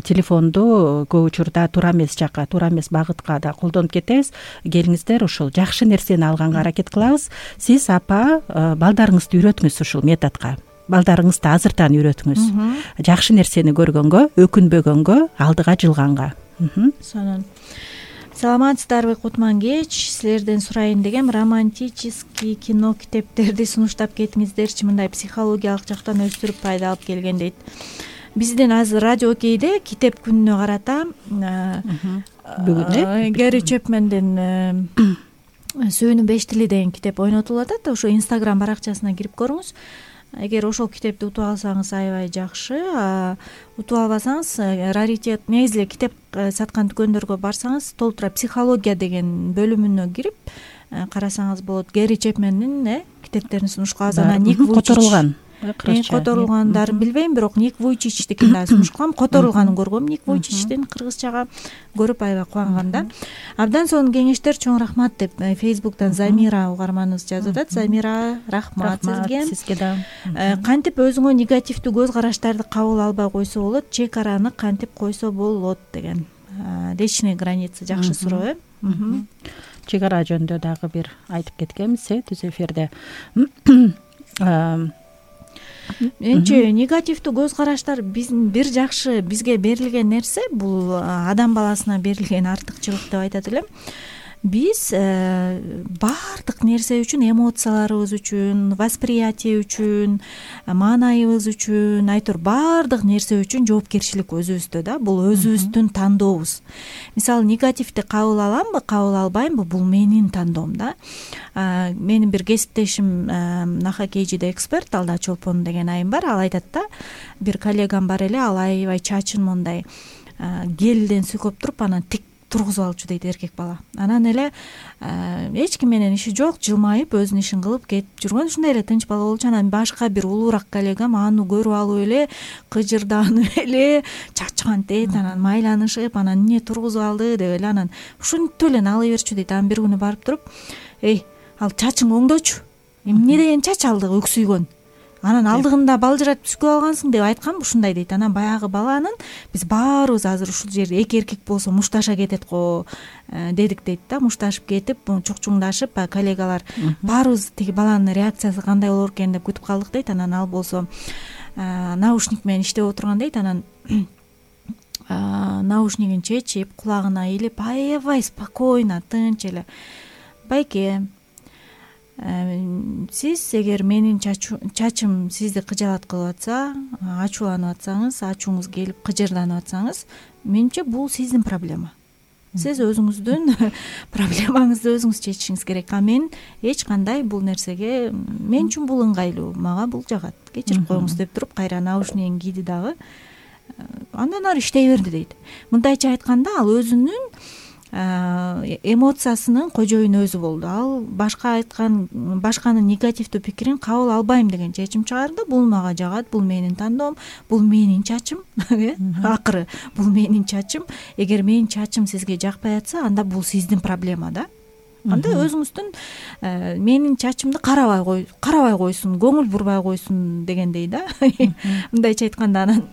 телефонду көп учурда туура эмес жакка, туура эмес багытка да колдонуп кетебиз. Келиңиздер, ушул жакшы нерсени алганга аракет кылабыз. Сиз апа балдарыңызды үйрөтүңүз ушул методко. Балдарыңызды азыртан үйрөтүңүз. Жакшы нерсени көргөнгө, өкүнбөгөнгө, алдыга жылганга. Сонун. Саламатсыздарбы, кутман кеч. Силерден сурайын дегем, романтический кино китептерди сунуштап кетиңиздерчи, мындай психологиялык жактан өстүрүп пайда алып келген дейт. Биздин азыр радио Окейде китеп күнүнө карата бүгүн Гэри Чепмендин Сүйүүнүн 5 тили деген китеп ойнотулуп атат. Ошо Instagram баракчасына кирип көрүңүз. Эгер ошол китепти утуп алсаңыз аябай жакшы, утуп албасаңыз раритет, негизи эле китеп саткан дүкөндөргө барсаңыз, толтура психология деген бөлүмүнө кирип карасаңыз болот. Гэри Чепмендин китептерин сунуш кылабыз. Анан Ник Вуйчич которулгандарын билбейм, бирок Ник Вуйчичтикин да сунуш кылам. Которулганын көргөм, Ник Вуйчичтин кыргызчага көрүп аябай кубанган да. Абдан сонун кеңештер, чоң рахмат деп Facebook'тан Замира угарманыбыз жазып атат. Замира, рахмат сизге да. Кантип өзүңө негативдүү көз караштарды кабыл албай койсо болот, чек араны кантип койсо болот деген. Личный граница жакшы суроо, Чек ара жөнүндө дагы бир айтып кеткенбиз түз эфирде. Менчи негативдүү көз караштар биздин бир жакшы бизге берилген нерсе, бул адам баласына берилген артыкчылык деп айтат элем. Биз баардык нерсе үчүн, эмоцияларыбыз үчүн, восприятие үчүн, маанайыбыз үчүн, айтор баардык нерсе үчүн жоопкерчилик өзүбүздө да. Бул өзүбүздүн тандообуз. Мисалы, негативди кабыл аламбы, кабыл албаймбы, бул менин тандоом да. Менин бир кесиптешим Наха Кейжиде эксперт, Алда Чолпон деген айым бар. Ал айтат да, бир коллегам бар эле, ал аябай чачын мондай гелден сүйкөп туруп, анан тик тургузуп алчу дейт эркек бала. Анан эле эч ким менен иши жок, жылмайып өзүнүн ишин кылып кетип жүргөн, ушундай эле тынч бала болчу. Анан башка бир улуураак коллегам аны көрүп алып эле кыжырданып эле чачкан дейт, анан майланышып, анан эмне тургузуп алды деп эле, анан ушинтип эле ала берчү дейт. Анан бир күнү барып туруп, ал чачың оңдочу, эмне деген чач алды өксүйгөн. анан алдыгында балжырап түшкүп алгансың деп айтканбы, ушундай дейт. Анан баягы баланын биз баарыбыз азыр ушул жерде эки эркек болсо мушташа кетет го дедик дейт да. Мушташып кетип чукчуңдашып баягы коллегалар баарыбыз тиги баланын реакциясы кандай болор экен деп күтүп калдык дейт. Анан ал болсо наушник менен иштеп отурган дейт. Анан наушнигин чечип кулагына илип аябай спокойно тынч эле: байке, сиз эгер менин чачым сизди кыжаалат кылып атса, ачууланып атсаңыз, ачууңуз келип кыжырданып атсаңыз, менимче бул сиздин проблема. Сиз өзүңүздүн проблемаңызды өзүңүз чечишиңиз керек. А мен эч кандай бул нерсеге, мен үчүн бул ыңгайлуу, мага бул жагат, кечирип коюңуз деп туруп кайра наушнигин кийди дагы. Андан ары иштей берди дейт. Мындайча айтканда, ал өзүнүн эмоциясынын кожоюну өзү болду. Ал башканын негативдүү пикирин кабыл албайм деген чечим чыгарды. Бул мага жагат, бул менин тандоом, бул менин чачым. Акыры бул менин чачым. Эгер менин чачым сизге жакпай атса, анда бул сиздин проблема да. Анда өзүңүздүн менин чачымды карабай койсун, көңүл бурбай койсун дегендей да. Мындайча айтканда, анан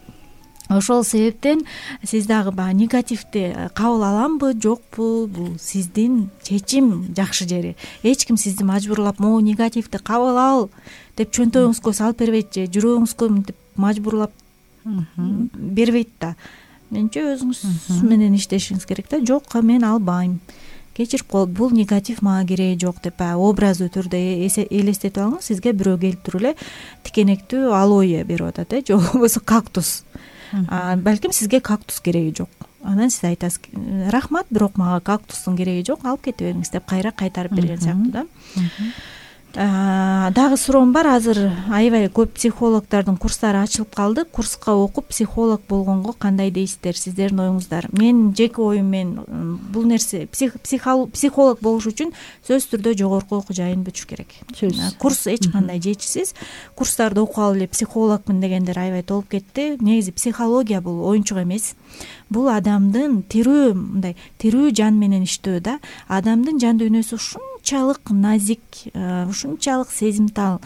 ошол себептен сиз дагы баягы негативди кабыл аламбы, жокпу, бул сиздин чечим. Жакшы жери, эч ким сизди мажбурлап могу негативди кабыл ал деп чөнтөгүңүзгө салып бербейт же жүрөгүңүзгө мынтип мажбурлап бербейт да. Менимче өзүңүз менен иштешиңиз керек да. Жок, мен албайм, кечирип кой, бул негатив мага кереги жок деп образдуу түрдө элестетип алыңыз. Сизге бирөө келип туруп эле тикенектүү алоэ берип атат, же болбосо кактус. Балким сизге кактус кереги жок. Анан сиз айтасыз: рахмат, бирок мага кактустун кереги жок, алып кете бериңиз деп кайра кайтарып берген сыяктуу да. Дагы суроом бар. Азыр аябай көп психологдордун курстары ачылып калды. Курска окуп психолог болгонго кандай дейсиздер, сиздердин оюңуздар? Мен жеке оюм, мен бул нерсе психолог болуш үчүн сөзсүз түрдө жогорку окуу жайын бүтүш керек. Курс эч кандай жетишсиз. Курстарды окуп алып эле психологмун дегендер аябай толуп кетти. Негизи психология бул оюнчук эмес. Бул адамдын тирүү жан менен иштөө да. Адамдын жан дүйнөсү ушунчалык назик, ушунчалык сезимтал,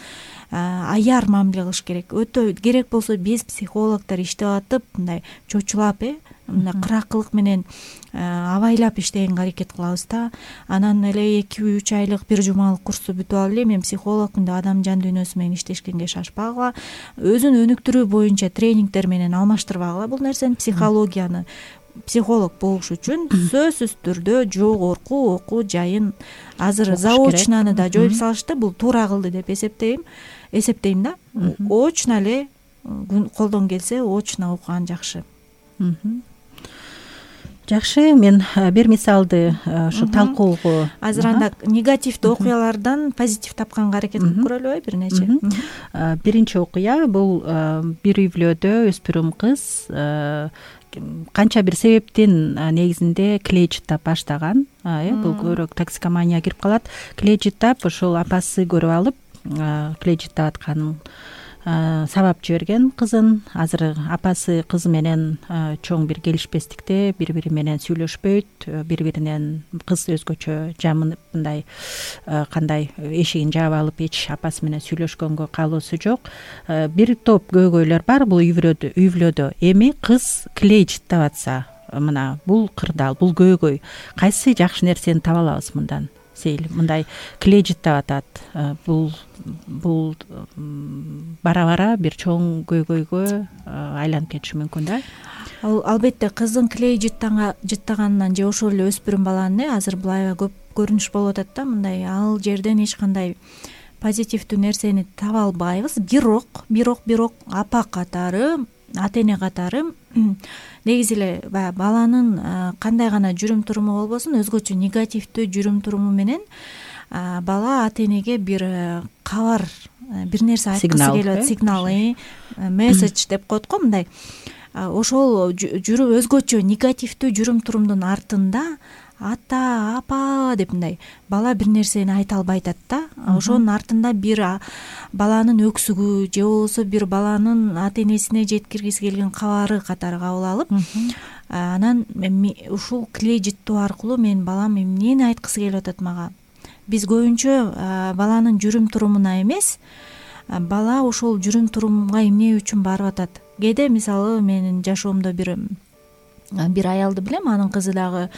аяр мамиле кылыш керек. Өтө керек болсо биз психологдор иштеп атып, мындай чочулап, кыракылык менен абайлап иштегенге аракет кылабыз да. Анан эле 2-3 айлык, 1 жумалык курсту бүтүп алып эле мен психологмун деп адамдын жан дүйнөсү менен иштешкенге шашпагыла. Өзүн өнүктүрүү боюнча тренингдер менен алмаштырбагыла бул нерсени. Психологияны психолог болуш үчүн сөзсүз түрдө жогорку окуу жайын азыр заочнаны да жоюп салышты. Бул туура кылды деп эсептейм да. Очно эле колдон келсе очно окуган жакшы. Жакшы, мен бир мисалды ушу талкуого азыр анда негативдүү окуялардан позитив тапканга аракет кылып көрөлүбү бир нече. Биринчи окуя бул бир үй-бүлөдө өспүрүм кыз канча бир себептин негизинде клей жыттап баштаган. Бул көбүрөөк токсикомания кирип калат. Клей жыттап ошол апасы көрүп алып, клей жыттап атканын сабап жиберген кызын. Азыр апасы кызы менен чоң бир келишпестикте, бири-бири менен сүйлөшпөйт, бири-биринен кыз өзгөчө жамынып, мындай кандай эшигин жаап алып эч апасы менен сүйлөшкөнгө каалоосу жок. Бир топ көйгөйлөр бар бул үй-бүлөдө. Эми кыз клей жыттап атса, мына бул кырдаал, бул көйгөй. Кайсы жакшы нерсени таба алабыз мындан? Сейил мындай клей жыттап атат. Бул бара-бара бир чоң көйгөйгө айланып кетиши мүмкүн да. Албетте кыздын клей жыттаганынан же ошол эле өспүрүм баланын азыр бул аябай көп көрүнүш болуп атат да. Мындай ал жерден эч кандай позитивдүү нерсени таба албайбыз. Бирок апа катары, ата-эне катары негизи эле баягы баланын кандай гана жүрүм туруму болбосун, өзгөчө негативдүү жүрүм туруму менен бала ата-энеге бир кабар, бир нерсе айткысы келип атат, сигнал, месседж деп коет го мындай. Ошол өзгөчө негативдүү жүрүм турумдун артында ата, апа деп мындай бала бир нерсени айта албай атат да. Ошонун артында бир баланын өксүгү же болбосо бир баланын ата-энесине жеткиргиси келген кабары катары кабыл алып, анан ушул клей жыттоо аркылуу менин балам эмнени айткысы келип атат мага. Биз көбүнчө баланын жүрүм турумуна эмес, бала ошол жүрүм турумга эмне үчүн барып атат. Кээде мисалы менин жашоомдо бир аялды билем, анын кызы дагы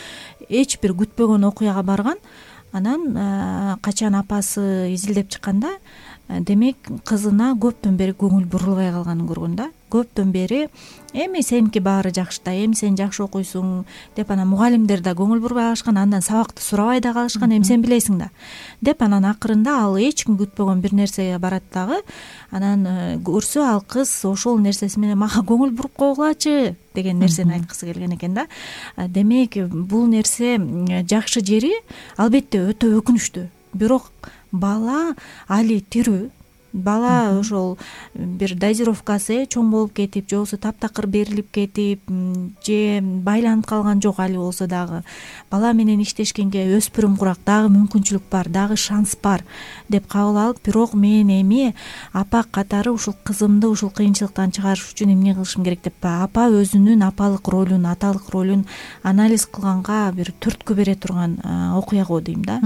эч бир күтпөгөн окуяга барган. Анан качан апасы изилдеп чыкканда, демек кызына көптөн бери көңүл бурулбай калганын көргөн да. Көптөн бери эми сеники баары жакшы да, эми сен жакшы окуйсуң деп анан мугалимдер да көңүл бурбай калышкан, андан сабакты сурабай да калышкан, эми сен билесиң да деп анан акырында ал эч ким күтпөгөн бир нерсеге барат дагы. Анан көрсө ал кыз ошол нерсеси менен мага көңүл буруп койгулачы деген нерсени айткысы келген экен да. Демек бул нерсе жакшы жери албетте өтө өкүнүчтүү. Бирок бала али тирүү. Бала ошол бир дозировкасы чоң болуп кетип, же болбосо таптакыр берилип кетип, же байланып калган жок али болсо дагы. Бала менен иштешкенге өспүрүм курак, дагы мүмкүнчүлүк бар, дагы шанс бар деп кабыл алып, бирок мен эми апа катары ушул кызымды ушул кыйынчылыктан чыгарыш үчүн эмне кылышым керек деп апа өзүнүн апалык ролун, аталык ролун анализ кылганга бир түрткү бере турган окуя го дейм да.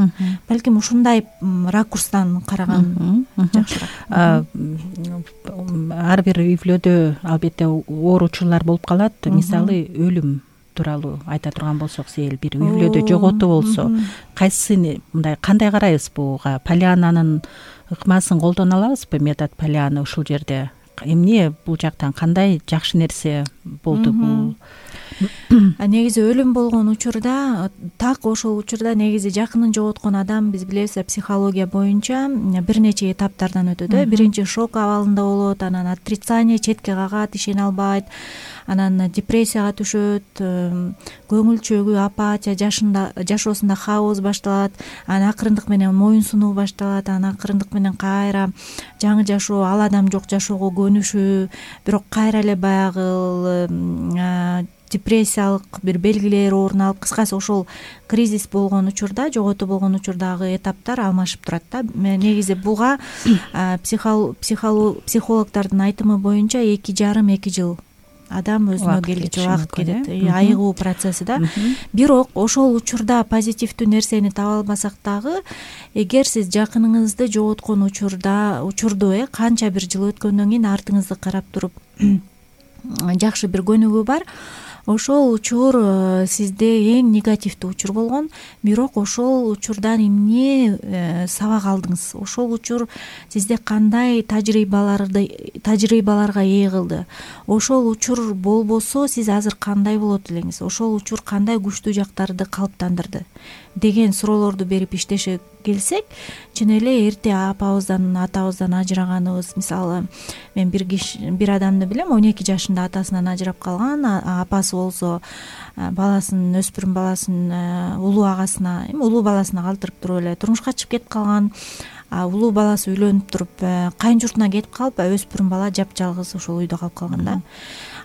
Балким ушундай ракурстан караган жакшыраак. Ар бир үй бүлөдө албетте оор учурлар болуп калат. Мисалы өлүм тууралуу айта турган болсок, сел бир үй бүлөдө жоготуу болсо, кайсысын мындай кандай карайбыз буга? Полиананын ыкмасын колдоно алабызбы? Метод Полиана ушул жерде эмне бул жактан кандай жакшы нерсе болду бул? Негизи өлүм болгон учурда, так ошол учурда негизи жакынын жоготкон адам, биз билебиз, психология боюнча бир нече этаптардан өтөт. Биринчи шок абалында болот, анан отрицание, четке кагат, ишене албайт, анан депрессияга түшөт, көңүл чөгүү, апатия, жашоосунда хаос башталат, анан акырындык менен моюн сунуу башталат, анан акырындык менен кайра жаңы жашоо, ал адам жок жашоого көнүшүү, бирок кайра эле баягы депрессиялык бир белгилер орун алып, кыскасы ошол кризис болгон учурда, жоготуу болгон учурдагы этаптар алмашып турат да. Негизи буга психологдордун айтымы боюнча 2,5-2 жыл адам өзүнө келгиче убакыт кетет, айыгуу процесси да. Бирок ошол учурда позитивдүү нерсени таба албасак дагы, эгер сиз жакыныңызды жоготкон учурду канча бир жыл өткөндөн кийин артыңызды карап туруп жакшы бир көнүгүү бар, ошол учур сизде эң негативдүү учур болгон, бирок ошол учурдан эмне сабак алдыңыз, ошол учур сизде кандай тажрыйбаларга ээ кылды, ошол учур болбосо сиз азыр кандай болот элеңиз, ошол учур кандай күчтүү жактарды калыптандырды деген суроолорду берип иштеше келсек, чын эле эрте апабыздан, атабыздан ажыраганыбыз, мисалы мен бир адамды билем, 12 жашында атасынан ажырап калган, апасы болсо баласын, өспүрүм баласын улуу агасына, улуу баласына калтырып туруп эле турмушка чыгып кетип калган. Улуу баласы үйлөнүп туруп кайын журтуна кетип калып, өспүрүм бала жапжалгыз ошол үйдө калып калган да.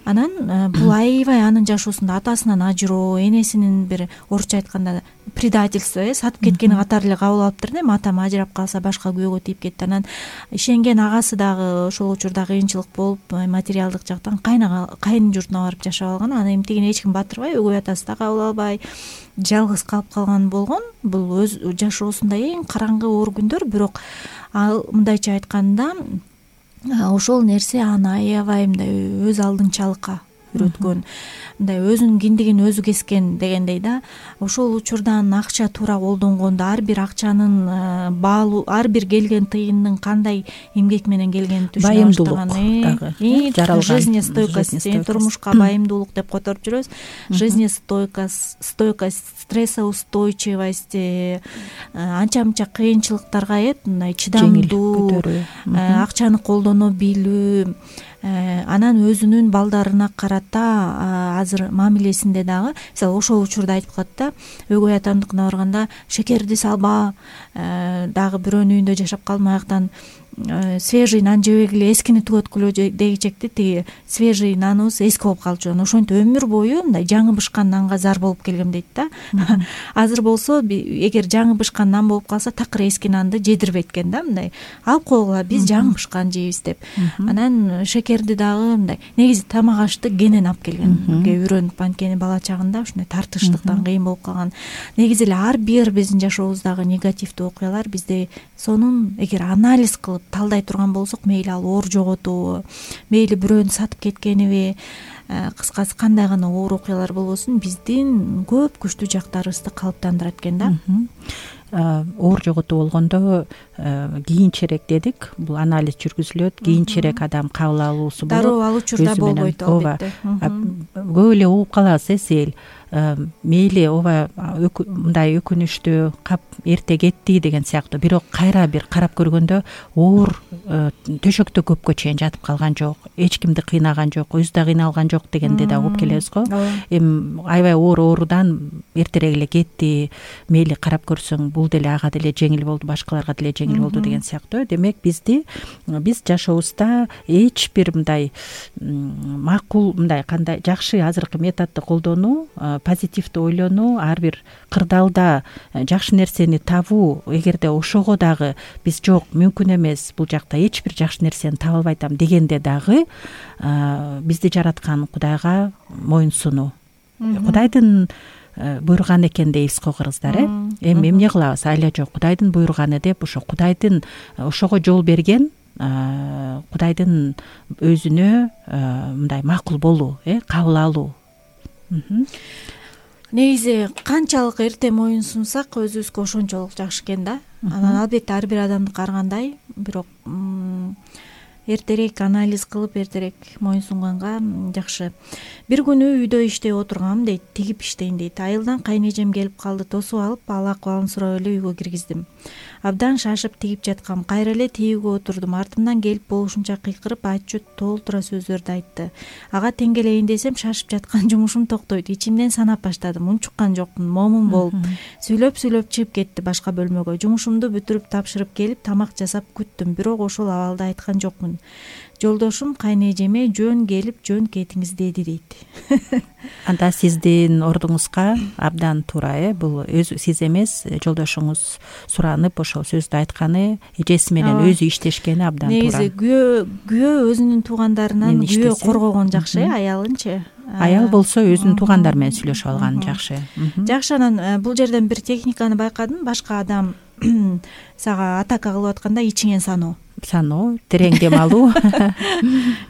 Анан бул аябай анын жашоосунда атасынан ажыроо, энесинин бир орусча айтканда предательство, сатып кеткени катары эле кабыл алыптыр да. Атам ажырап калса башка күйөөгө тийип кетти. Анан ишенген агасы дагы ошол учурда кыйынчылык болуп, материалдык жактан кайын журтуна барып жашап алган. Анан эмтигин эч ким батырбай, өгөй атасы да кабыл албай, жалгыз калып калган болгон. Бул өз жашоосунда эң караңгы оор күндөр, бирок ал мындайча айтканда ошол нерсе аны аябай мындай өз алдынчалыкка үйрөткөн, мындай өзүнүн киндигин өзү кескен дегендей да. Ошол учурдан акча туура колдонгондо, ар бир акчанын баалуу, ар бир келген тыйындын кандай эмгек менен келгенин түшүнө баштаган. Жаралган жизнестойкость, турмушка байымдуулук деп которуп жүрөбүз. Жизнестойкость, стрессоустойчивость, анча-мынча кыйынчылыктарга мындай чыдамдуу, акчаны колдоно билүү, анан өзүнүн балдарына карата азыр мамилесинде дагы, мисалы ошол учурда айтып калат да, өгөй атамдыкына барганда шекерди салба, дагы бирөөнүн үйүндө жашап калдым, аяктан свежий нан жебегиле, эскини түгөткүлө дегичекти, тиги свежий наныбыз эски болуп калчу, ошентип өмүр бою мындай жаңы бышкан нанга зар болуп келгем дейт да. Азыр болсо эгер жаңы бышкан нан болуп калса, такыр эски нанды жедирбейт экен да, мындай алып койгула, биз жаңы бышкан жейбиз деп. Анан шекерди дагы мындай негизи тамак ашты кенен алып келгенге үйрөнүп, анткени бала чагында ушундай тартыштыктан кыйын болуп калган. Негизи эле ар бир биздин жашообуздагы негативдүү окуялар бизде сонун эгер анализ кылып талдай турган болсок, мейли ал оор жоготубу, мейли бирөөнү сатып кеткениби, кыскасы кандай гана оор окуялар болбосун, биздин көп күчтүү жактарыбызды калыптандырат экен да. Оор жоготуу болгондо кийинчерээк дедик, бул анализ жүргүзүлөт, кийинчерээк адам кабыл алуусу болот. Дароо ал учурда болбойт албетте. Көп эле угуп калабыз сел мейли ооба мындай өкүнүчтүү, кап эрте кетти деген сыяктуу, бирок кайра бир карап көргөндө оор төшөктө көпкө чейин жатып калган жок, эч кимди кыйнаган жок, өзү да кыйналган жок дегенде да угуп келебиз го. Эми аябай оорудан эртерээк эле кетти, мейли карап көрсөң бул деле ага деле жеңил болду, башкаларга деле жеңил болду деген сыяктуу. Демек биз жашообузда эч бир мындай макул, мындай кандай жакшы азыркы методду колдонуу, позитивдүү ойлонуу, ар бир кырдаалда жакшы нерсени табуу, эгерде ошого дагы биз жок, мүмкүн эмес, бул жакта эч бир жакшы нерсени таба албайтам дегенде дагы бизди жараткан Кудайга моюн сунуу. Кудайдын буйруган экен дейбиз го кыргыздар. Эми эмне кылабыз? Айла жок, Кудайдын буйруганы деп, ошо Кудайдын ошого жол берген, Кудайдын өзүнө мындай макул болуу, кабыл алуу. Негизи канчалык эрте моюн сунсак өзүбүзгө ошончолук жакшы экен да. Анан албетте ар бир адамды карагандай, бирок эртерээк анализ кылып, эртерээк моюн сунганга жакшы. Бир күнү үйдө иштеп отургам дейт, тигип иштейин дейт. Айылдан кайнежем келип калды, тосуп алып, ал акыбалын сурап эле үйгө киргиздим. Абдан шашып тигип жаткам, кайра эле тигүүгө отурдум. Артымдан келип болушунча кыйкырып, ачуу толтура сөздөрдү айтты. Ага теңгелейин десем, шашып жаткан жумушум токтойт. Ичимден санап баштадым, унчуккан жокмун, момун болуп. Сүйлөп чыгып кетти башка бөлмөгө. Жумушумду бүтүрүп тапшырып келип, тамак жасап күттүм, бирок ошол абалда айткан жокмун. Жолдошум кайнежеме жөн келип, жөн кетиңиз деди дейт. Анда сиздин ордуңузга абдан туура, бул сиз эмес, жолдошуңуз суранып ошол сөздү айтканы, эжеси менен өзү иштешкени абдан туура. Негизи күйөө өзүнүн туугандарынан күйөө коргогон жакшы, аялынчы. Аял болсо өзүнүн туугандары менен сүйлөшүп алган жакшы. Жакшы, анан бул жерден бир техниканы байкадым. Башка адам сага атака кылып атканда ичиңен саноо, терең дем алуу.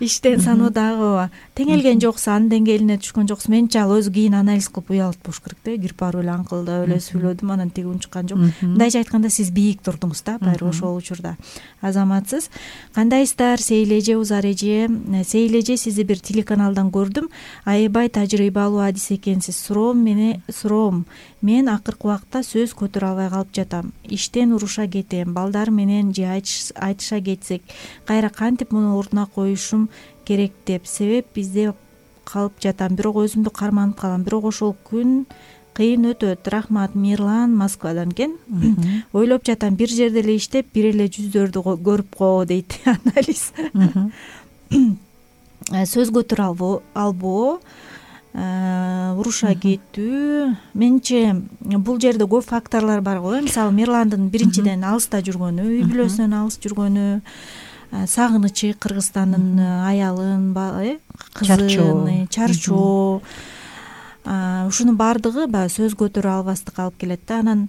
Иштен саноо дагы теңелген жоксу, анын деңгээлине түшкөн жоксу. Менче ал өзү кийин анализ кылып уялып болуш керек да. Кирип барып эле аңкылдап эле сүйлөдүм, анан тиги унчуккан жок. Мындайча айтканда, сиз бийик турдуңуз да, баары ошол учурда. Азаматсыз. Кандайсыздар, Сейлеже, Узар эже? Сейлеже, сизди бир телеканалдан көрдүм. Аябай тажрыйбалуу адис экенсиз. Суроом. Мен акыркы убакта сөз көтөрө албай калып жатам. Иштен уруша кетем, балдар менен же айтыша кетсек, кайра кантип муну ордуна коюшум керек деп себеп бизде калып жатам, бирок өзүмдү карманып калам. Бирок ошол күн кыйын өтөт. Рахмат, Мирлан Москвадан экен. Ойлоп жатам, бир жерде эле иштеп, бир эле жүздөрдү көрүп коо дейт. Анализ. Сөз көтөрө албоо, уруша кетүү. Менче бул жерде көп факторлор бар го. Мисалы, Мирландын биринчиден алыста жүргөнү, үй бүлөсүнөн алыс жүргөнү, сагынычы, Кыргызстандын аялын, кызын, чарчоо. Ушунун баардыгы баягы сөз көтөрө албастыкка алып келет да. Анан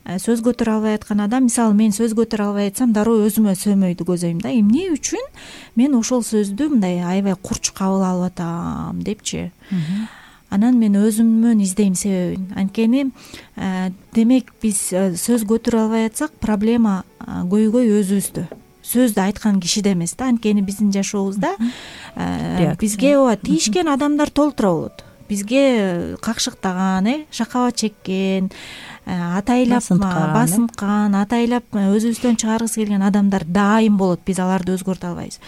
сөз көтөрө албай аткан адам, мисалы, мен сөз көтөрө албай атсам, дароо өзүмө сөймөйдү көзөйм да. Эмне үчүн мен ошол сөздү мындай аябай курч кабыл алып атам депчи. Анан мен өзүмөн издейм себебин. Анткени демек биз сөз көтөрө албай атсак, проблема көйгөй өзүбүздө. Сөздү айткан кишиде эмес да. Анткени биздин жашообузда бизге тийишкен адамдар толтура болот. Бизге какшыктаган, шакабат чеккен, атайлап басынткан, атайлап өзүбүздөн чыгаргысы келген адамдар дайым болот. Биз аларды өзгөртө албайбыз.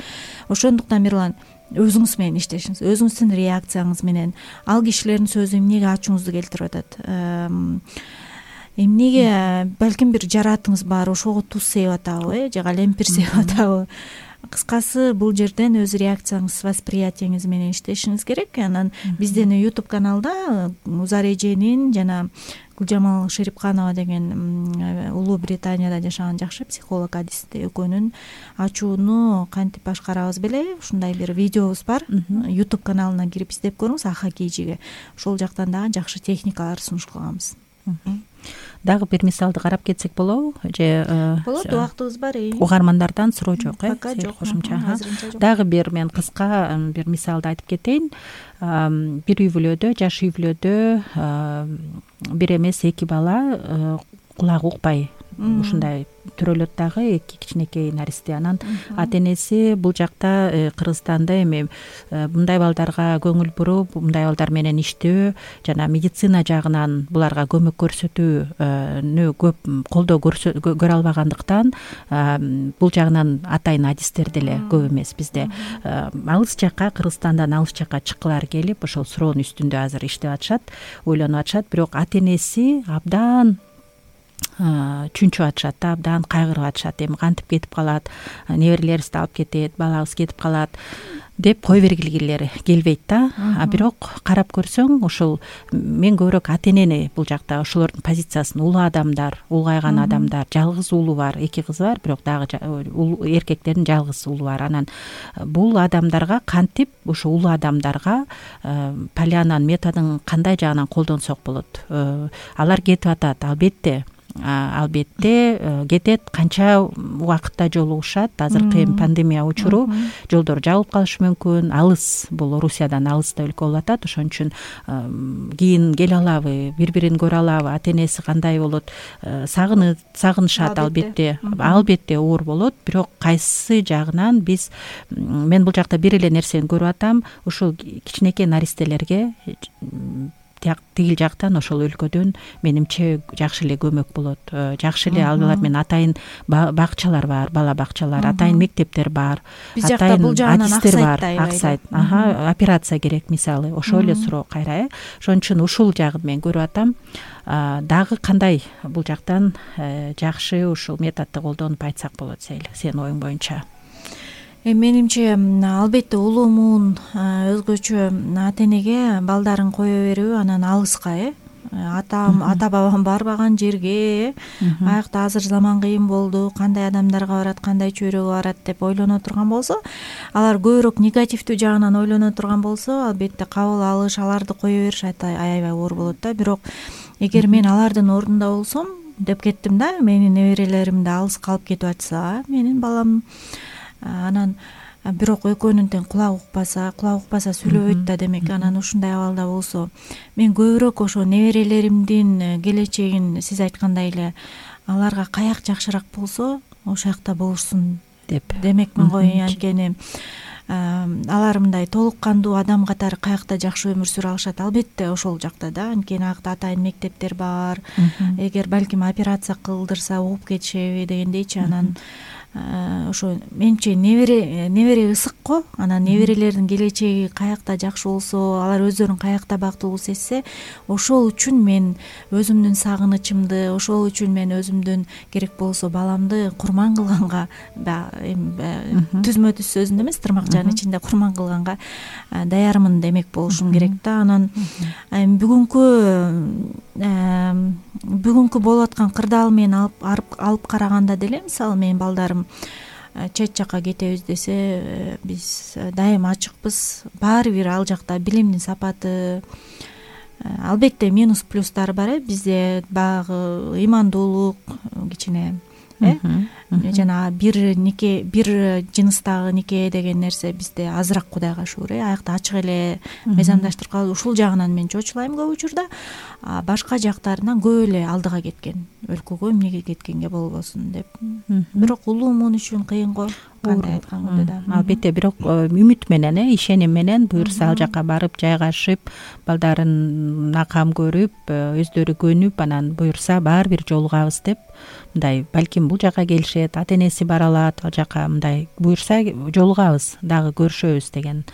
Ошондуктан Мирлан, өзүңүз менен иштешиңиз, өзүңүздүн реакцияңыз менен. Ал кишилердин сөзү эмнеге ачууңузду келтирип атат? Эмнеге балким бир жаратыңыз бар, ошого туз сээп атабы, же калемпир сээп атабы? Кыскасы, бул жерден өз реакцияңыз, восприятиеңиз менен иштешиңиз керек. Анан биздин YouTube каналда Узар эженин жана Гүлжамал Шерипканова деген Улуу Британияда жашаган жакшы психолог, адисти экөөнүн ачууну кантип башкарабыз беле, ушундай бир видеобуз бар. YouTube каналына кирип издеп көрүңүз, Аха Кейжиге. Ошол жактан дагы жакшы техникалар сунуш кылганбыз. Дагы бир мисалды карап кетсек болобу же болот, убактыбыз бар. угармандардан суроо жок Пока жок, кошумча. азырынча жок. Дагы бир мен кыска бир мисалды айтып кетейин. Бир үй бүлөдө, жаш үй бүлөдө бир эмес 2 бала кулагы укпай ушундай төрөлөт дагы, 2 кичинекей наристе. Анан ата энеси бул жакта Кыргызстанда эми мындай балдарга көңүл буруп, мындай балдар менен иштөө жана медицина жагынан буларга көмөк көрсөтүүнү көп колдоо көрө албагандыктан бул жагынан атайын адистер деле көп эмес бизде. Алыс жакка, Кыргызстандан алыс жакка чыккылары келип ошол суроонун үстүндө азыр иштеп атышат, ойлонуп атышат. Бирок ата энеси абдан чүнчүп атышат да, абдан кайгырып атышат. Эми кантип кетип калат, неберелерибизди алып кетет, балабыз кетип калат деп кой бергилери келбейт да. Бирок карап көрсөң, ошол мен көбүрөөк ата энени бул жакта ошолордун позициясын, улуу адамдар, улгайган адамдар, жалгыз уулу бар, 2 кызы бар, бирок дагы эркектердин жалгыз уулу бар. Анан бул адамдарга кантип, ошо улуу адамдарга Полианнанын методун кандай жагынан колдонсок болот? Алар кетип атат, албетте кетет, канча убакытта жолугушат. Азыркы эми пандемия учуру жолдор жабылып калышы мүмкүн, алыс, бул Орусиядан алыс да өлкө болуп атат. Ошон үчүн кийин келе алабы, бири-бирин көрө алабы, ата энеси кандай болот, сагынышат албетте оор болот. Бирок кайсы жагынан мен бул жакта бир эле нерсени көрүп атам, ушул кичинекей наристелерге тигил жактан, ошол өлкөдөн менимче жакшы эле көмөк болот. Жакшы эле алар менен атайын бакчалар бар, бала бакчалар, атайын мектептер бар, атайын адистер бар, аксайт. Операция керек мисалы, ошол эле суроо кайра. Ошон үчүн ушул жагын мен көрүп атам. Дагы кандай бул жактан жакшы ушул методду колдонуп айтсак болот, сенин оюң боюнча? Менимче албетте улуумун өзгөчө ата энеге балдарын кое берүү, анан алыска ата бабам барбаган жерге аякта азыр заман кыйын болду, кандай адамдарга барат, кандай чөйрөгө барат деп ойлоно турган болсо, алар көбүрөөк негативдүү жагынан ойлоно турган болсо, албетте кабыл алыш, аларды кое бериш аябай оор болот да. Бирок эгер мен алардын ордунда болсом деп кеттим да, менин неберелеримди алыска алып кетип атса, менин балам анан бирок экөөнүн тең кулагы укпаса сүйлөбөйт да, демек анан ушундай абалда болсо, мен көбүрөөк ошо неберелеримдин келечегин сиз айткандай эле аларга каяк жакшыраак болсо ошол жакта болушсун деп демекмин го. Анткени алар мындай толук кандуу адам катары каякта жакшы өмүр сүрө алышат? Албетте ошол жакта да. Анткени аякта атайын мектептер бар. Эгер балким операция кылдырса угуп кетишеби дегендейчи. Анан ошо менимче небере ысык го. Анан неберелердин келечеги каякта жакшы болсо, алар өздөрүн каякта бактылуу сезсе, ошол үчүн мен өзүмдүн сагынычымды, ошол үчүн мен өзүмдүн керек болсо баламды курман кылганга, түзмө түз сөзүндө эмес, тырмакчанын ичинде курман кылганга даярмын демек болушум керек да. Анан бүгүнкү болуп аткан кырдаал менен алып караганда деле, мисалы менин балдарым чет жакка кетебиз десе, биз дайыма ачыкпыз. Баары бир ал жакта билимдин сапаты, албетте минус плюстары бар. Бизде баягы ыймандуулук кичине жана бир жыныстагы нике деген нерсе бизде азыраак, Кудайга шүгүр. Аякта ачык эле мыйзамдаштырып калып, ушул жагынан мен чочулайм көп учурда. Башка жактарынан көп эле алдыга кеткен, өлкөгө эмнеге кеткенге болбосун деп. Бирок улуумун үчүн кыйын го, кандай айтканда да. Албетте, бирок үмүт менен, ишеним менен буюрса ал жака барып жайгашып, балдарын кам көрүп, өздөрү көнүп, анан буюрса баары бир жолугабыз деп, мындай балким бул жака келишет, ата энеси бара алат, ал жака мындай буюрса жолугабыз, дагы көрүшөбүз деген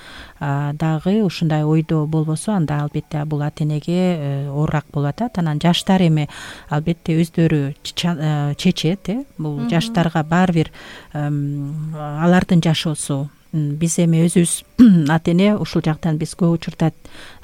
дагы ушундай ойдо болбосо, анда албетте бул ата энеге оорураак болуп атат. Анан жаштар эми албетте өздөрү чечет, бул жаштарга баары бир алардын жашоосу. Биз эми өзүбүз ата эне ушул жактан биз көп учурда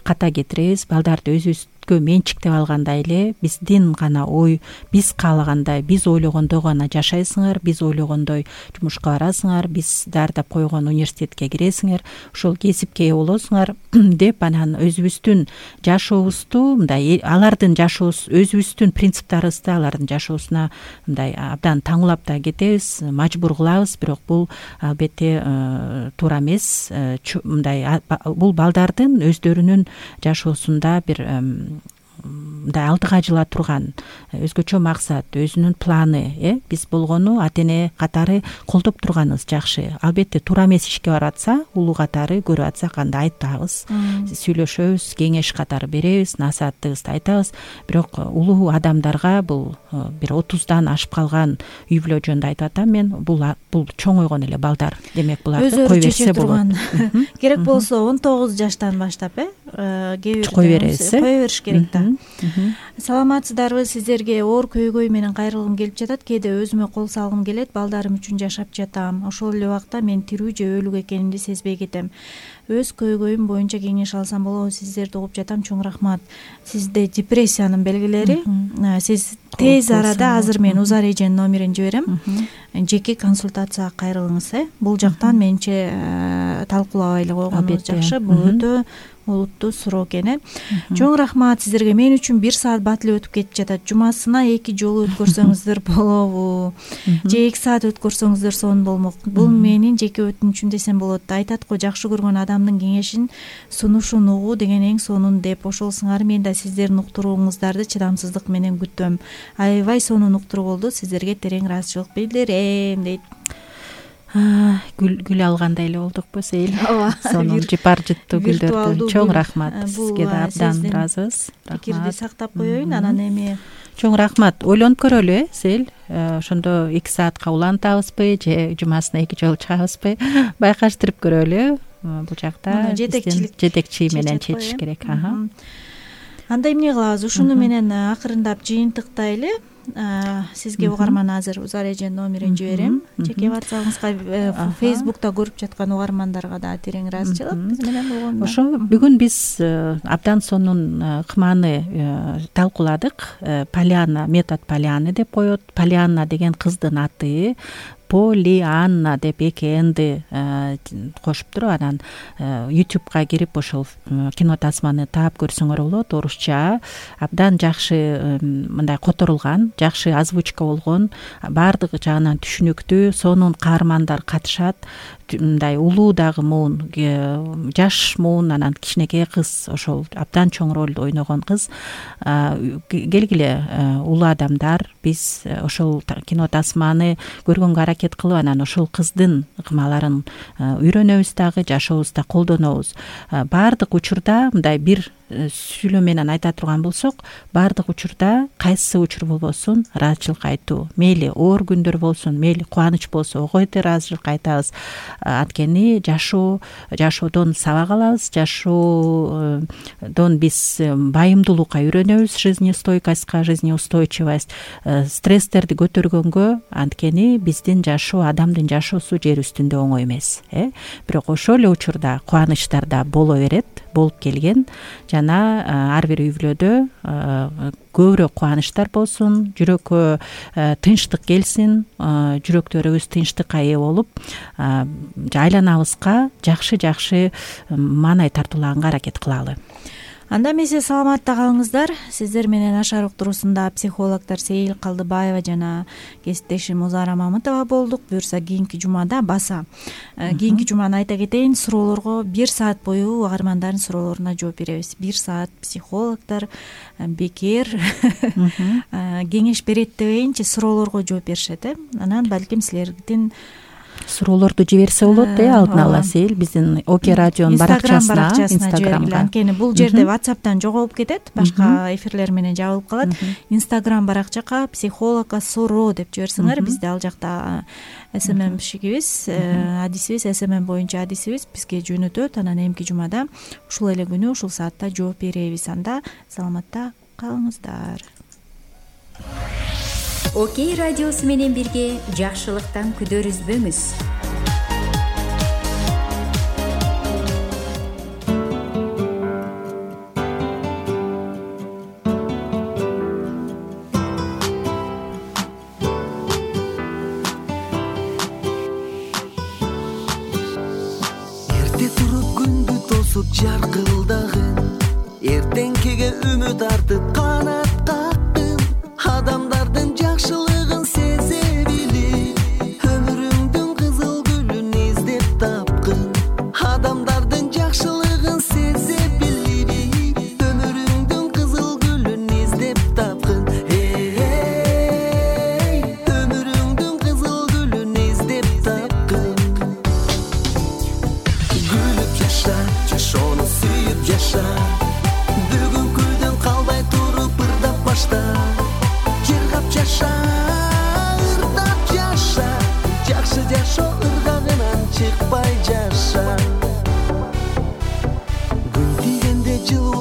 ката кетиребиз. Балдарды өзүбүзгө менчиктеп алгандай эле биздин гана ой, биз каалагандай, биз ойлогондой гана жашайсыңар, биз ойлогондой жумушка барасыңар, биз даярдап койгон университетке киресиңер, ошол кесипке ээ болосуңар деп анан өзүбүздүн жашообузду мындай алардын жашоосу, өзүбүздүн принциптарыбызды алардын жашоосуна мындай абдан таңуулап да кетебиз, мажбур кылабыз. Бирок бул албетте туура эмес. Мындай бул балдардын өздөрүнүн жашоосунда бир мындай алдыга жыла турган өзгөчө максат, өзүнүн планы. Биз болгону ата эне катары колдоп турганыбыз жакшы. Албетте туура эмес ишке барып атса, улуу катары көрүп атсак анда айтабыз, сүйлөшөбүз, кеңеш катары беребиз, насааттыгыбызды айтабыз. Бирок улуу адамдарга бул бир 30дан ашып калган үй бүлө жөнүндө айтып атам мен. Бул чоң ойгон эле балдар. Демек буларды кой берсе болот. Керек болсо 19 жаштан баштап кой беребиз, кой бериш керек да. Саламатсыздарбы? Сиздерге оор көйгөй менен кайрылгым келип жатат. Кээде өзүмө кол салгым келет. Балдарым үчүн жашап жатам. Ошол эле убакта мен тирүү же өлүк экенимди сезбей кетем. Өз көйгөйүм боюнча кеңеш алсам болобу? Сиздерди угуп жатам. Чоң рахмат. Сизде депрессиянын белгилери. Сиз тез арада азыр мен Узар эженин номерин жиберем. Жеке консультацияга кайрылыңыз. Бул жактан менче талкуулабай эле койгонубуз жакшы. Бул өтө олуттуу суроо экен. Чоң рахмат сиздерге. Мен үчүн 1 саат бат эле өтүп кетип жатат. Жумасына 2 жолу өткөрсөңүздөр болобу? Же 2 саат өткөрсөңүздөр сонун болмок. Бул менин жеке өтүнүчүм десем болот. Айтат го, жакшы көргөн адамдын кеңешин, сунушун угуу деген эң сонун деп. Ошол сыңары мен да сиздердин уктурууңуздарды чыдамсыздык менен күтөм. Аябай сонун уктуруу болду. Сиздерге терең ыраазычылык билдирем дейт. Гүл алгандай эле болдукпу Сейил? Сонун жыпар жыттуу гүлдөрдү. Чоң рахмат. Сизге да абдан ыраазыбыз. Пикирди сактап коеюн. Анан эми чоң рахмат. Ойлонуп көрөлү Сейил. Ошондо 2 саатка улантабызбы же жумасына 2 жолу чыгабызбы? Байкаштырып көрөлү. Бул жакта жетекчи менен чечиш керек. Анда эмне кылабыз? Ушуну менен акырындап жыйынтыктайлы. Сизге угарман азыр Узар эженин номерин жиберем. Жеке WhatsApp'ыңызга, Facebook'та көрүп жаткан угармандарга да терең ыраазычылык биз менен болгондо. Ошо бүгүн биз абдан сонун кыманы талкууладык. Полианна, метод Полианна деп коет. Полианна деген кыздын аты. Полианна деп 2 энди кошуптур. Анан YouTube'га кирип ошол кино тасманы таап көрсөңөр болот. Орусча абдан жакшы мындай которулган, жакшы озвучка болгон, баардык жагынан түшүнүктүү, сонун каармандар катышат. Мындай улуу дагы муун, жаш муун, анан кичинекей кыз, ошол абдан чоң ролду ойногон кыз. Келгиле улуу адамдар, биз ошол кино тасманы көргөнгө аракет кылып, анан ошол кыздын ыкмаларын үйрөнөбүз дагы, жашообузда колдонобуз. Баардык учурда мындай бир сүйлөө менен айта турган болсок, баардык учурда кайсы учур болбосун ыраазычылык айтуу. Мейли оор күндөр болсун, мейли кубаныч болсо огойду ыраазычылык айтабыз. Анткени жашоодон сабак алабыз, жашоодон биз байымдуулукка үйрөнөбүз, жизнестойкостька, жизнеустойчивость, стресстерди көтөргөнгө. Анткени биздин жашоо, адамдын жашоосу жер үстүндө оңой эмес. Бирок ошол эле учурда кубанычтар да боло берет, болуп келген. Жана ар бир үй бүлөдө көбүрөөк кубанычтар болсун, жүрөккө тынчтык келсин, жүрөктөрүбүз тынчтыкка ээ болуп, айланабызга жакшы маанай тартуулаганга аракет кылалы. Анда эмесе саламатта калыңыздар. Сиздер менен Ашар уктуруусунда психологдор Сейил Калдыбаева жана кесиптешим Узара Мамытова болдук. Буюрса кийинки жумада баса. Кийинки жуманы айта кетейин, суроолорго 1 саат бою угармандардын суроолоруна жооп беребиз. 1 саат психологдор бекер кеңеш берет дебейинчи, суроолорго жооп беришет. Анан балким силердин суроолорду жиберсе болот, алдын ала Сейил биздин ОК радионун баракчасына, Инстаграмга. Анткени бул жерде WhatsApp'тан жоголуп кетет, башка эфирлер менен жабылып калат. Инстаграм баракчага психологка суроо деп жиберсеңер, бизде ал жакта СММшигибиз, адисибиз, СММ боюнча адисибиз бизге жөнөтөт. Анан эмки жумада ушул эле күнү ушул саатта жооп беребиз. Анда саламатта калыңыздар. Окей радиосу менен бирге жакшылыктан күдө үзбөңүз. кийинкиге үмүт артып канат кактым, адамдардын жакшылыгын сезе билип өмүрүңдүн кызыл гүлүн издеп тапкын, адамдардын жакшылыгын сезе билип өмүрүңдүн кызыл гүлүн издеп тапкын, өмүрүңдүн кызыл гүлүн издеп тапкын. Гүлүп жаша, жашоону сүйүп жаша, бүгүнкүдөн калбай туруп ырдап башта, жыргап жаша, ырдап жаша, жакшы жашоо ыргагынан чыкпай жаша. Гүл тийгенде жылуу